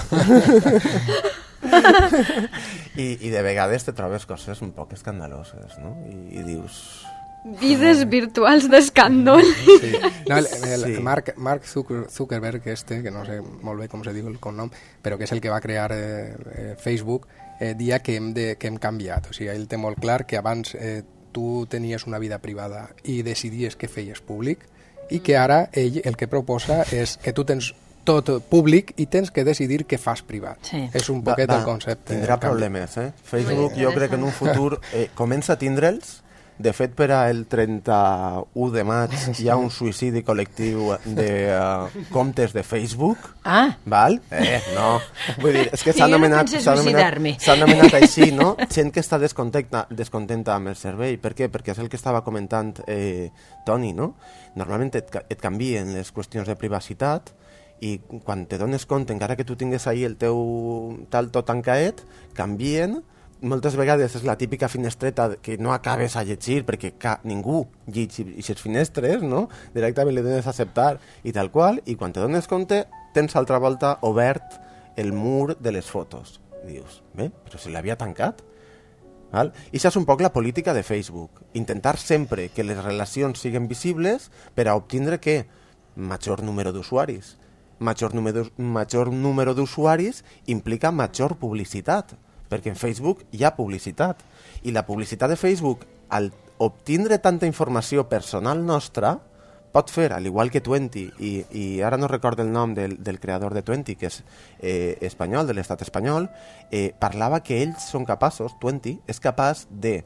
I, I de vegades te trobes coses un poc escandaloses, no? I, i dius... Vides virtuals d'escàndol. Sí. No, el, el, Sí. Mark, Mark Zuckerberg, este, que no sé molt bé com se diu el cognom, però que és el que va crear eh, eh, Facebook, eh, dia que hem, de, que hem canviat. O sigui, ell té molt clar que abans eh, tu tenies una vida privada i decidies què feies públic, i que ara ell el que proposa és que tu tens tot públic i tens que decidir què fas privat. Sí. És un poquet Va, va, el concepte. Tindrà el canvi. problemes, eh? Facebook Molt jo crec que en un futur eh, comença a tindre'ls. De fet, per al trenta-u de maig hi ha un suïcidi col·lectiu de uh, comptes de Facebook. Ah, Val? Eh, no. Vull dir, és que Sí, s'ha jo no anomenat, pense s'ha anomenat, suïcidar-me. s'ha anomenat així, no? Gent que està descontenta, descontenta amb el servei. Per què? Perquè és el que estava comentant eh, Toni, no? Normalment et, ca- et canvien les qüestions de privacitat i quan te dones compte, encara que tu tingues ahí el teu tal tot tancaet, canvien. Moltes vegades és la típica finestreta que no acabes a llegir perquè ca ningú llegeix aquestes finestres, no? Directament li dones a acceptar i tal qual, i quan te dones compte tens altra volta obert el mur de les fotos. I dius, bé, però si l'havia tancat. Val? I això és un poc la política de Facebook. Intentar sempre que les relacions siguin visibles per a obtindre què? Major número d'usuaris. Major número, major número d'usuaris implica major publicitat, perquè en Facebook hi ha publicitat. I la publicitat de Facebook, al obtindre tanta informació personal nostra, pot fer, al igual que Twenty, i, i ara no recordo el nom del, del creador de Twenty, que és eh, espanyol, de l'estat espanyol, eh, parlava que ells són capaços, Twenty, és capaç de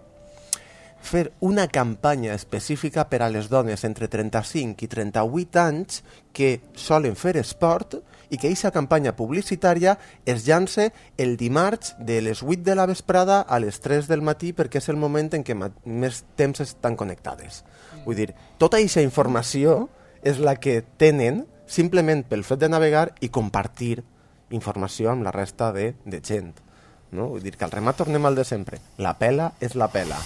fer una campanya específica per a les dones entre trenta-cinc i trenta-vuit anys que solen fer esport i que aquesta campanya publicitària es llança el dimarts de les vuit de la vesprada a les tres del matí perquè és el moment en què més temps estan connectades. Vull dir, tota aquesta informació és la que tenen simplement pel fet de navegar i compartir informació amb la resta de, de gent. No? Vull dir que al remat tornem al de sempre. La pela és la pela.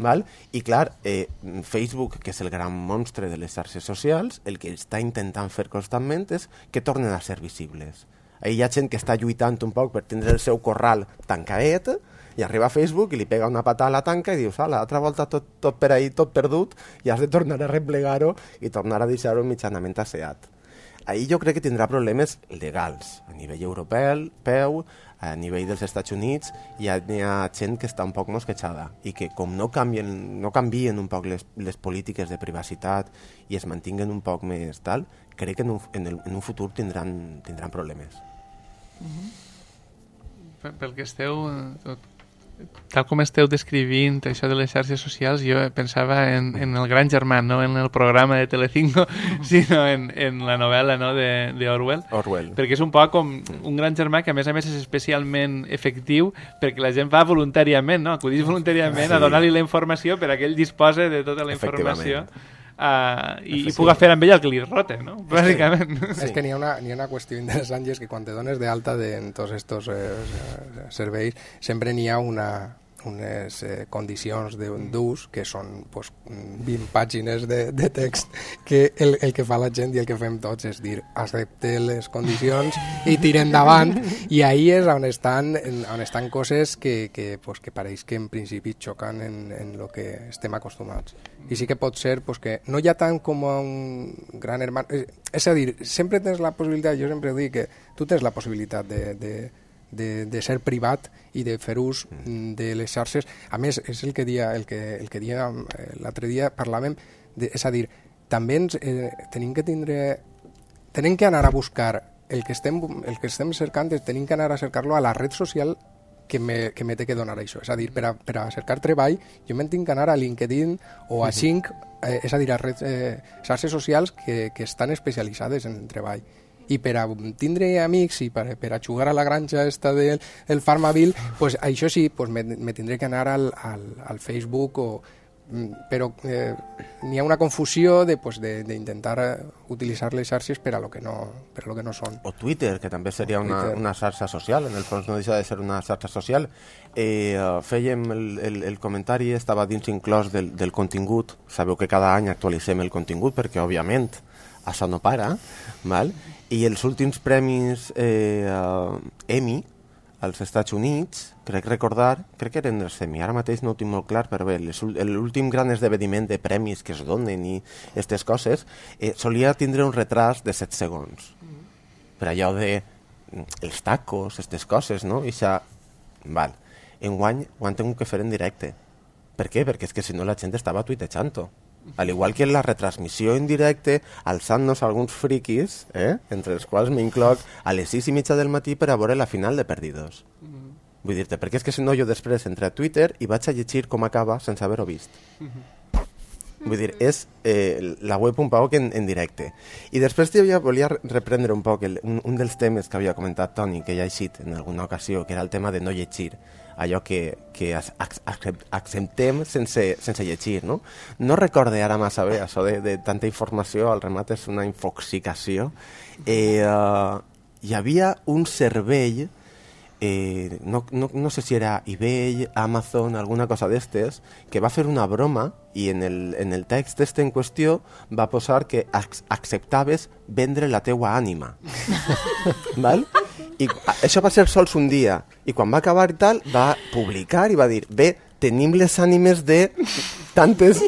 Val? I clar, eh, Facebook, que és el gran monstre de les xarxes socials, el que està intentant fer constantment és que tornen a ser visibles. Ahí hi ha gent que està lluitant un poc per tindre el seu corral tancaet i arriba a Facebook i li pega una patada a la tanca i dius, ala, altra volta tot, tot per ahí, tot perdut, i has de tornar a replegar-ho i tornar a deixar-ho mitjanament asseat. Ahí jo crec que tindrà problemes legals a nivell europeu, peu, a nivell dels Estats Units, hi ha, hi ha gent que està un poc mosquejada i que com no canvien, no canvien un poc les, les polítiques de privacitat i es mantinguen un poc més tal, crec que en un, en el, en un futur tindran, tindran problemes. Pel, pel que esteu... Tal com esteu descrivint això de les xarxes socials, jo pensava en, en el Gran Germán, no en el programa de Telecinco, sinó en, en la novel·la, no, de, de Orwell. Orwell. Perquè és un poc com un Gran Germà que a més a més és especialment efectiu perquè la gent va voluntàriament, no? Acudís voluntàriament sí. a donar-li la informació per a que ell dispose de tota la informació uh, i, i puga fer amb ell el que li rote, no? Bàsicament. Sí. És que n'hi ha, una, n'hi ha una qüestió interessant i és que quan te dones de alta de, en tots aquests eh, serveis sempre n'hi ha una, unes eh, condicions d'ús que són pues, vint pàgines de, de text que el, el que fa la gent i el que fem tots és dir accepte les condicions i tira endavant i ahí és on estan, on estan coses que, que, pues, que pareix que en principi xoquen en, en lo que estem acostumats. I sí que pot ser pues, que no hi ha tant com un gran hermano, és, és a dir, sempre tens la possibilitat, jo sempre dic que tu tens la possibilitat de, de De, de ser privat i de fer ús de les xarxes. A més, és el que dia, el que, el que dia eh, l'altre dia parlàvem, de, és a dir, també ens, eh, tenim que tindre tenim que anar a buscar el que estem, el que estem cercant, tenim que anar a cercar-lo a la red social que me, que me té que donar això. És a dir, per a, per a cercar treball, jo me'n tinc que anar a LinkedIn o a Xing, eh, és a dir, a red, eh, xarxes socials que, que estan especialitzades en el treball. I per a tindre amics i per, per a jugar a la granja esta del, del Farmaville, pues això sí, pues me, me tindré que anar al, al, al Facebook, o, però eh, n'hi ha una confusió de, pues, de, de intentar utilitzar les xarxes per a lo que no, per a lo que no són. O Twitter, que també seria una, una xarxa social, en el fons no deixa de ser una xarxa social. Eh, uh, fèiem el, el, el comentari, estava dins inclòs del, del contingut, sabeu que cada any actualitzem el contingut perquè, òbviament, això no para, val? I els últims premis eh, uh, Emmy als Estats Units, crec recordar, crec que eren els Emmy, ara mateix no ho tinc molt clar, però bé, l'últim gran esdeveniment de premis que es donen i aquestes coses, eh, solia tindre un retras de set segons. Per allò de els tacos, aquestes coses, no? I això, val, enguany ho han tingut que fer en directe. Per què? Perquè és que si no la gent estava tuitejant-ho. Al igual que en la retransmissió en directe, alçant-nos alguns friquis, eh? Entre els quals m'incloc a les sis i mitja del matí per a veure la final de Perdidos. Mm-hmm. Vull dir-te, perquè és que si no jo després entré a Twitter i vaig a llegir com acaba sense haver-ho vist. Mm-hmm. Vull dir, és eh, la web un poc en, en directe. I després ja volia reprendre un poc el, un, un dels temes que havia comentat Toni, que ja ha eixit en alguna ocasió, que era el tema de no llegir, allò que, que acceptem sense, sense llegir, no? No recorde ara massa bé això de, de tanta informació, al remat és una infoxicació. Eh, uh, hi havia un servei, eh, no, no, no sé si era eBay, Amazon, alguna cosa d'estes, que va fer una broma i en el, en el text este en qüestió va posar que ac acceptaves vendre la teua ànima. Val? I això va ser sols un dia, i quan va acabar i tal, va publicar i va dir, bé, tenim les ànimes de tantes...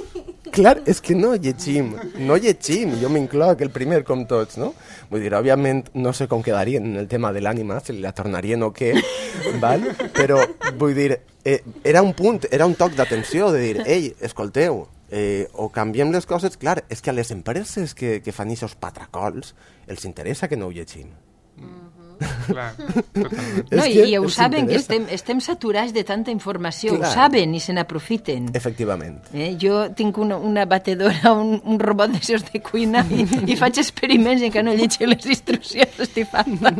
Clar, és que no llegim, no llegim, jo m'incloc el primer com tots, no? Vull dir, òbviament no sé com quedarien en el tema de l'ànima, si la tornarien o què, val? Però vull dir, eh, era un punt, era un toc d'atenció de dir, ei, escolteu, eh, o canviem les coses, clar, és que a les empreses que, que fan aquests patracols els interessa que no ho llegim. Clar, totalment. No, i, i ho saben, que estem, estem saturats de tanta informació, clar. Ho saben i se n'aprofiten. Efectivament. Eh, jo tinc una, una batedora, un, un robot d'aixòs de cuina i, i faig experiments en què no llegeixo les instruccions, estic fanta.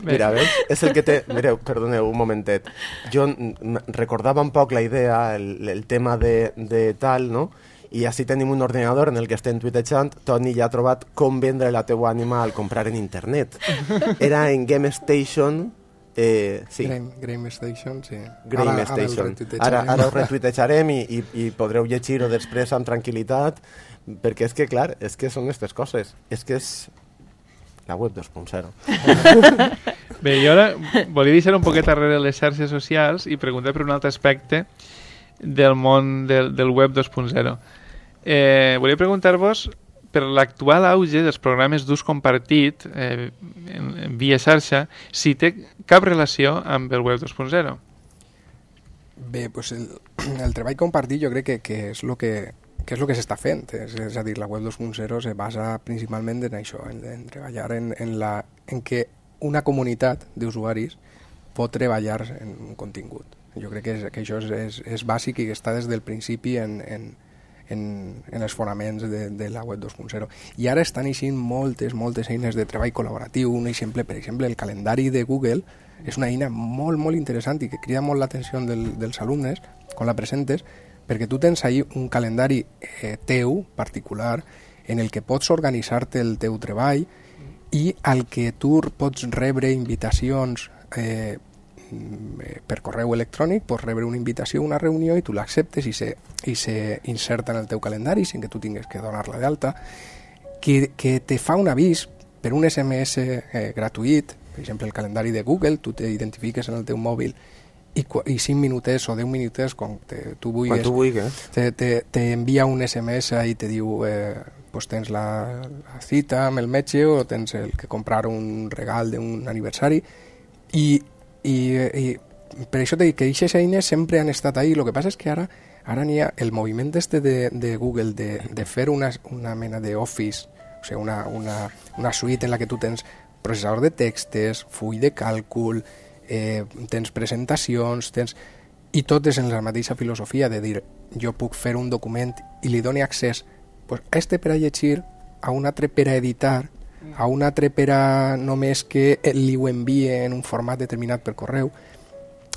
Mira, veus? És el que té... Mireu, perdoneu un momentet. Jo recordava un poc la idea, el, el tema de, de tal, no? I així tenim un ordinador en el que estem tuitejant. Toni ja ha trobat com vendre la teua ànima al comprar en internet. Era en Game Station... Eh, sí. Game, Game Station, sí. Game ara, Station. Ara, ara ho retuitejarem i, i, i podreu llegir-ho després amb tranquil·litat, perquè és que, clar, és que són aquestes coses. És que és la web dos punt zero. Bé, jo ara volia deixar un poquet darrere les xarxes socials i preguntar per un altre aspecte del món del, del web dos punt zero. Eh, volia preguntar-vos per l'actual auge dels programes d'ús compartit eh, en, en via xarxa, si té cap relació amb el web dos punt zero. Bé, pues el, el treball compartit jo crec que, que és el que, que, és lo que s'està fent. És, és a dir, la web dos punt zero se basa principalment en això, en, en treballar en, en, la, en que una comunitat d'usuaris pot treballar en un contingut. Jo crec que, és, que això és, és, és bàsic i que està des del principi en, en, en, en els fonaments de, de la web dos punt zero. I ara estan eixint moltes, moltes eines de treball col·laboratiu. Un exemple, per exemple, el calendari de Google és una eina molt, molt interessant i que crida molt l'atenció del, dels alumnes quan la presentes, perquè tu tens ahí un calendari eh, teu, particular, en el que pots organitzar-te el teu treball i al que tu pots rebre invitacions eh, per correu electrònic, pots rebre una invitació a una reunió i tu l'acceptes i se, i se inserta en el teu calendari sin que tu tingues que donar-la d'alta, que, que te fa un avís per un S M S eh, gratuït, per exemple el calendari de Google, tu t'identifiques en el teu mòbil i, i cinc minutets o deu minutets quan te, tu vulguis, quan tu vulguis. Te, te, te envia un S M S i te diu eh, pues tens la, la cita amb el metge o tens el que comprar un regal d'un aniversari i I, i per això t'he dit que aquestes eines sempre han estat ahí. El que passa és que ara ara n'hi ha el moviment este de, de Google de, de fer una, una mena d'office, o sigui, una, una, una suite en la que tu tens processador de textos, full de càlcul, eh, tens presentacions, tens... i tot és en la mateixa filosofia de dir jo puc fer un document i li doni accés pues, a este per a llegir, a un altre per a editar, a un altre per a només que li ho envie en un format determinat per correu.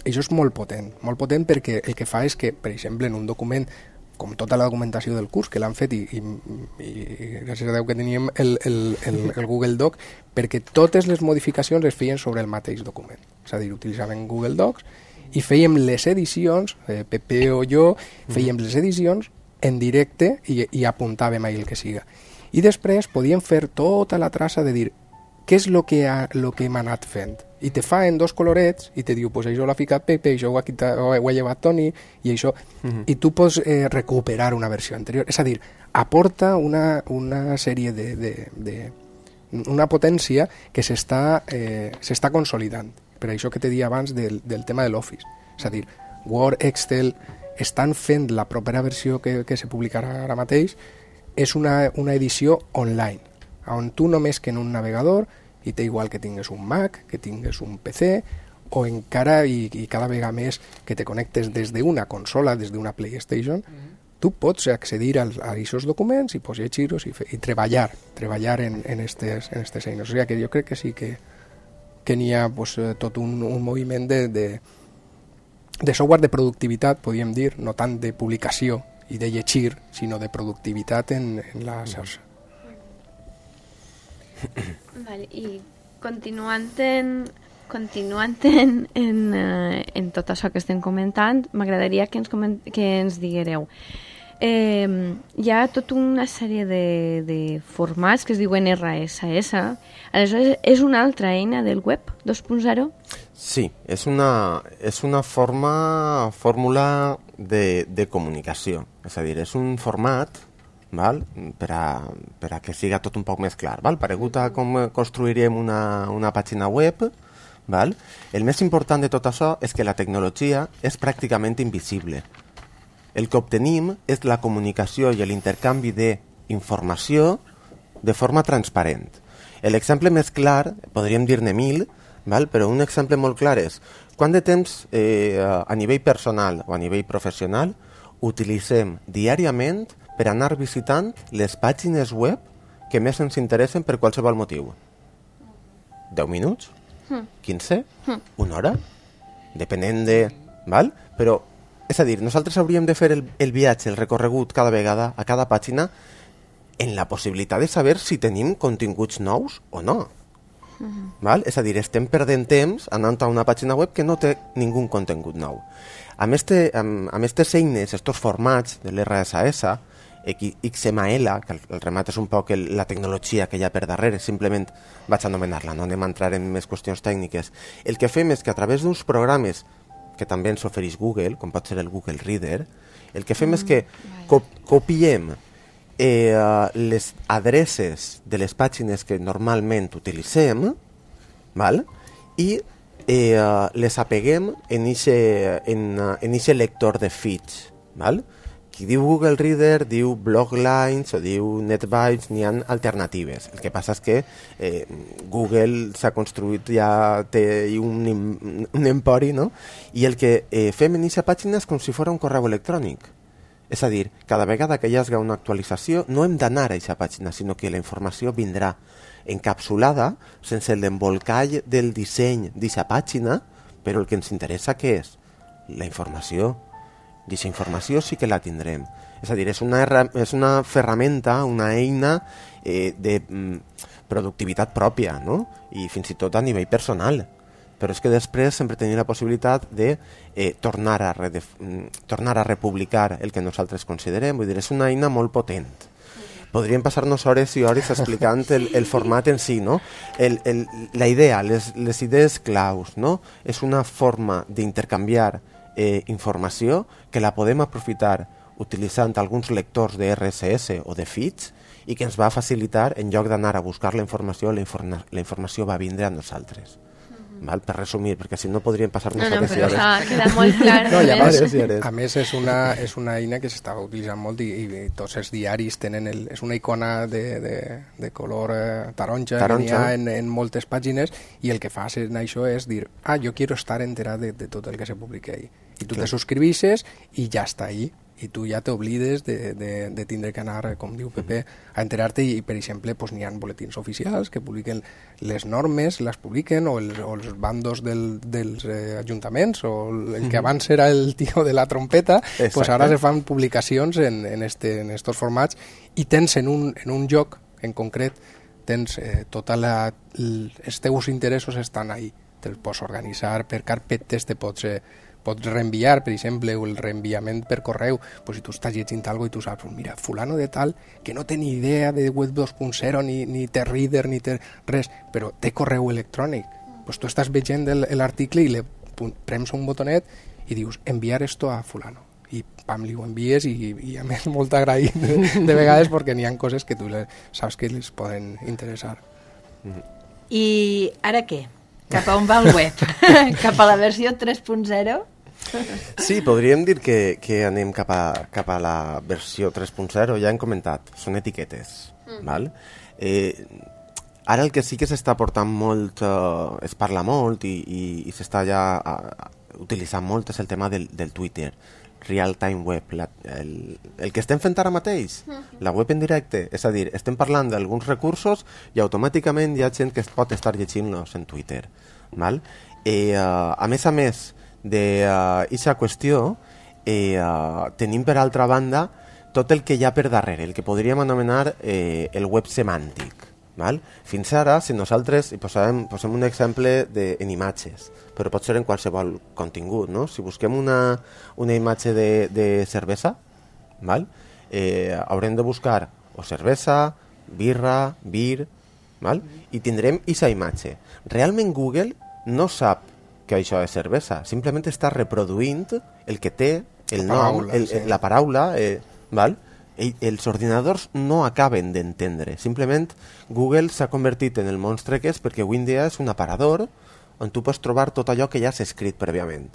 Això és molt potent, molt potent perquè el que fa és que, per exemple, en un document, com tota la documentació del curs, que l'han fet i, i, i gràcies a Déu que teníem el, el, el, el Google Doc, perquè totes les modificacions es feien sobre el mateix document. És a dir, utilitzaven Google Docs i fèiem les edicions, eh, Pepe o jo, fèiem les edicions en directe i, i apuntàvem ahí el que siga. I després podíem fer tota la traça de dir què és el que, ha, lo que hem anat fent i te fa en dos colorets i te diu, pues això l'ha ficat Pepe, això ho ha, quitat, ho ha llevat Toni i això, uh-huh. i tu pots eh, recuperar una versió anterior, és a dir, aporta una, una sèrie de, de, de una potència que s'està eh, s'està consolidant, per això que te dia abans del, del tema de l'Office, és a dir, Word, Excel estan fent la propera versió que, que se publicarà ara mateix, és una, una edició online, on tu només que en un navegador, i té igual que tingues un Mac, que tingues un P C, o encara, i, i cada vegada més, que te connectes des d'una consola, des d'una PlayStation, mm-hmm. tu pots accedir als, a aquests documents i pots llegir-los i, i treballar, treballar en, en estes, en estes eines. O sigui que jo crec que sí que, que n'hi ha pues, tot un, un moviment de, de, de software de productivitat, podríem dir, no tant de publicació i de llegir, sinó de productivitat en, en la xarxa. Vale, i continuant en, continuant en, en, uh, en tot això que estem comentant, m'agradaria que ens, coment, que ens diguereu. Eh, hi ha tota una sèrie de, de formats que es diuen R S S. Aleshores, és una altra eina del web dos punt zero? Sí, és una, és una forma, fórmula de, de comunicació. És a dir, és un format, val? Per, a, per a que siga tot un poc més clar. Val? Paregut a com construirem una, una pàgina web, val? El més important de tot això és que la tecnologia és pràcticament invisible. El que obtenim és la comunicació i l'intercanvi d'informació de forma transparent. L'exemple més clar, podríem dir-ne mil, val? Però un exemple molt clar és quant de temps eh, a nivell personal o a nivell professional utilitzem diàriament per anar visitant les pàgines web que més ens interessen per qualsevol motiu. deu minuts? quinze? Una hora? Depenent de... Val? Però, és a dir, nosaltres hauríem de fer el, el viatge, el recorregut cada vegada, a cada pàgina, en la possibilitat de saber si tenim continguts nous o no. Uh-huh. Val? És a dir, estem perdent temps anant a una pàgina web que no té ningú contingut nou. Amb este, amb, amb estes eines, estos formats de l'R S S, X M L, que el, el remat és un poc el, la tecnologia que hi ha per darrere, simplement vaig anomenar-la, no anem a entrar en més qüestions tècniques. El que fem és que a través d'uns programes que també ens ofereix Google, com pot ser el Google Reader, el que fem mm, és que cop copiem eh, les adreces de les pàgines que normalment utilitzem, val? I eh, les apeguem en ixe, en, en ixe lector de feeds. Val? Qui diu Google Reader diu Bloglines o diu NetBytes, n'hi ha alternatives. El que passa és que eh, Google s'ha construït, ja té un, un empori, no? I el que eh, fem en aquesta pàgina és com si fos un correu electrònic. És a dir, cada vegada que hi hagi una actualització no hem d'anar a aquesta pàgina, sinó que la informació vindrà encapsulada, sense l'embolcall del disseny d'aquesta pàgina, però el que ens interessa què és? La informació. I aquesta informació sí que la tindrem. És a dir, és una, és una ferramenta, una eina eh, de mm, productivitat pròpia, no? I fins i tot a nivell personal. Però és que després sempre tenim la possibilitat de eh, tornar, a redef tornar a republicar el que nosaltres considerem. Vull dir, és una eina molt potent. Podríem passar-nos hores i hores explicant el, el format en si, no? El, el, la idea, les, les idees claus, no? És una forma d'intercanviar Eh, informació que la podem aprofitar utilitzant alguns lectors de R S S o de feeds i que ens va facilitar, en lloc d'anar a buscar la informació, la, informa la informació va vindre a nosaltres. Mm-hmm. Val? Per resumir, perquè si no podríem passar-nos no, no, hores i hores. No, però queda molt clar. No, i a, més, hores, hores. a més, és una, és una eina que s'estava utilitzant molt i, i tots els diaris tenen... El, és una icona de, de, de color eh, taronja, taronja. Que n'hi ha en, en moltes pàgines i el que fas en això és dir, ah, jo quiero estar enterat de, de tot el que se publica ahí. I tu Clar. Te suscribixes i ja està ahí. I tu ja t'oblides de, de, de tindre que anar, com diu Pepe, a enterar-te i, per exemple, pues, n'hi ha boletins oficials que publiquen les normes, les publiquen, o, el, o els bandos del, dels eh, ajuntaments, o el que abans era el tio de la trompeta, pues ara se fan publicacions en, en, este, en estos formats i tens en un, en un lloc en concret, tens eh, tota la, els teus interessos estan ahí. Te'ls pots organitzar per carpetes, te pots... Eh, pots reenviar, per exemple, o el reenviament per correu, pues si tu estàs llegint alguna cosa i tu saps, mira, fulano de tal, que no té ni idea de web dos punt zero, ni, ni té reader, ni té res, però té correu electrònic. pues tu estàs veient l'article i le prems un botonet i dius enviar esto a fulano i pam, li ho envies i, i a més molt agraït de, de vegades perquè n'hi ha coses que tu le, saps que les poden interessar. I ara què? Cap a on va el web? Cap a la versió tres punt zero? Sí, podríem dir que, que anem cap a, cap a la versió tres punt zero, ja hem comentat, són etiquetes, mm. val? Eh, ara el que sí que s'està portant molt, uh, es parla molt i, i, i s'està ja uh, utilitzant molt és el tema del, del Twitter, Real Time Web, la, el, el que estem fent ara mateix, la web en directe, és a dir, estem parlant d'alguns recursos i automàticament hi ha gent que es pot estar llegint-los en Twitter, val? Eh, uh, a més a més d'aquesta uh, qüestió, eh, uh, tenim per altra banda tot el que hi ha per darrere, el que podríem anomenar eh, el web semàntic. Val? Fins ara, si nosaltres hi posem, posem un exemple de, en imatges, però pot ser en qualsevol contingut, no? Si busquem una, una imatge de, de cervesa, val? Eh, haurem de buscar o cervesa, birra, bir, val? I tindrem aquesta imatge. Realment Google no sap que això és cervesa, simplement està reproduint el que té, el la nom, paraula, el, sí. la paraula, eh, val? Els ordinadors no acaben d'entendre. Simplement Google s'ha convertit en el monstre que és perquè avui en dia és un aparador on tu pots trobar tot allò que ja s'ha escrit prèviament.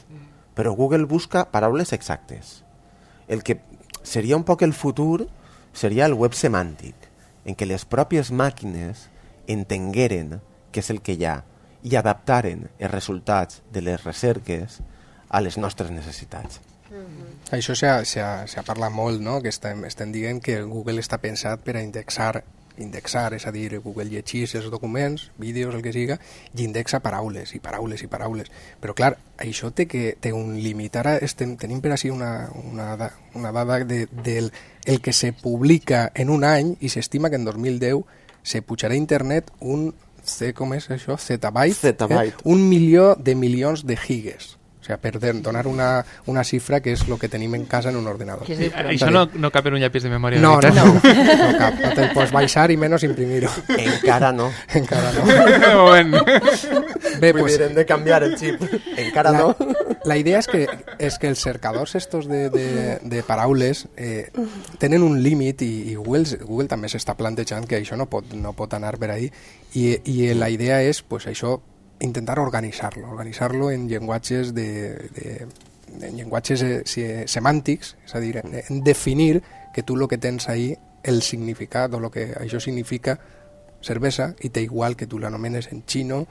Però Google busca paraules exactes. El que seria un poc el futur seria el web semàntic, en què les pròpies màquines entengueren què és el que hi ha i adaptaren els resultats de les recerques a les nostres necessitats. Mm-hmm. Això s'ha parlat molt, no? Que estem, estem dient que Google està pensat per a indexar, indexar, és a dir, Google llegeix els documents, vídeos, el que siga, i indexa paraules, i paraules, i paraules. Però, clar, això té, que, té un límit. Ara estem, tenim per així una, una, una dada de, del el que se publica en un any i s'estima que en dos mil deu se pujarà a internet un, com és això? Zettabyte? Zettabyte. Eh? Un milió de milions de gigas. O sea, per donar una, una xifra que és el que tenim en casa en un ordinador. Sí, això no, no cap en un llapis de memòria. No, no, no, no cap. No te'l pots baixar i menys imprimir-ho. Encara no. Encara no. De moment. Bé, pues, hem de canviar el xip. Encara la, no. La idea és que, és que els cercadors estos de, de, de paraules eh, tenen un límit i, i Google, Google també s'està plantejant que això no pot, no pot anar per ahí i, i la idea és pues, això intentar organitzar-lo, organitzar-lo en llenguatges de, de, en llenguatges eh, semàntics, és a dir, en definir que tu el que tens ahí, el significat o el que això significa cervesa, i té igual que tu l'anomenes en xino,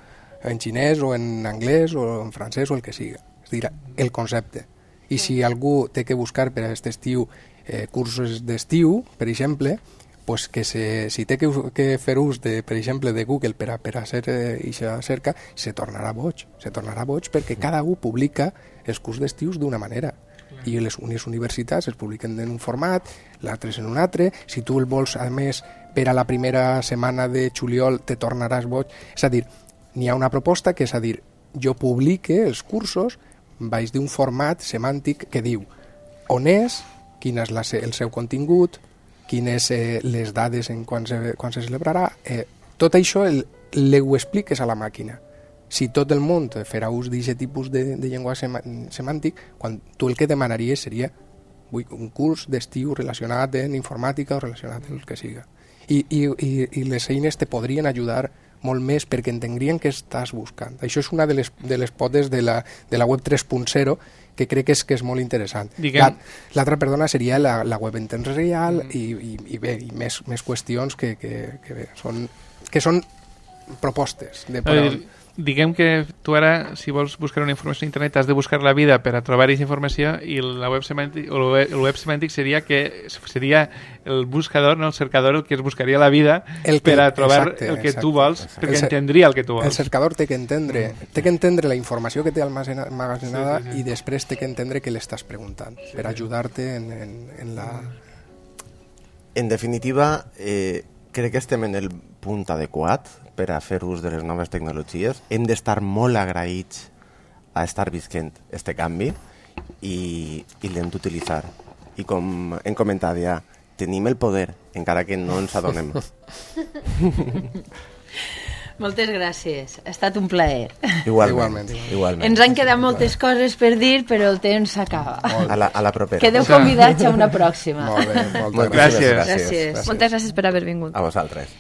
en xinès o en anglès o en francès o el que siga. És a dir, el concepte. I si algú té que buscar per a aquest estiu eh, cursos d'estiu, per exemple, pues que se, si té que, que fer ús, de, per exemple, de Google per a, per a hacer aquesta eh, cerca, se tornarà boig. Se tornarà boig perquè cada un publica els curs d'estius d'una manera. I les unes universitats es publiquen en un format, l'altres en un altre. Si tu el vols, a més, per a la primera setmana de juliol te tornaràs boig. És a dir, n'hi ha una proposta que és a dir, jo publique els cursos baix d'un format semàntic que diu on és, quin és la, el seu contingut, quines eh, les dades en quan se, quan se celebrarà, eh, tot això el, le ho expliques a la màquina. Si tot el món farà ús d'aquest tipus de, de llenguatge semàntic, quan tu el que demanaries seria vull, un curs d'estiu relacionat en informàtica o relacionat amb el que siga. I, i, i, i les eines te podrien ajudar molt més perquè entendrien què estàs buscant. Això és una de les, de les potes de la, de la web tres punt zero que crec que és, que és molt interessant. Diguem... L'altra, perdona, seria la, la web en temps real mm. i, i, i bé, i més, més qüestions que, que, que, bé, són, que són propostes. De dir, diguem que tu ara, si vols buscar una informació a internet, has de buscar la vida per a trobar aquesta informació i la web semàntic, o el web semàntic seria que seria el buscador, no el cercador, el que es buscaria la vida el que, per a trobar exacte, el que exacte, tu vols, exacte. Perquè el entendria el que tu vols. El cercador té que entendre, té que entendre la informació que té almacenada sí, sí, sí. I després té que entendre què l'estàs preguntant sí, per ajudar-te en, en, en la... En definitiva, eh, crec que estem en el punt adequat per a fer ús de les noves tecnologies. Hem d'estar molt agraïts a estar visquent este canvi i, i l'hem d'utilitzar. I com hem comentat ja, tenim el poder, encara que no ens adonem. Moltes gràcies, ha estat un plaer. Igualment. Igualment. Ens han quedat moltes coses per dir, però el temps s'acaba. A la, a la propera. Quedeu convidats a una pròxima. Molt bé, moltes gràcies. gràcies. Gràcies. Moltes gràcies per haver vingut. A vosaltres.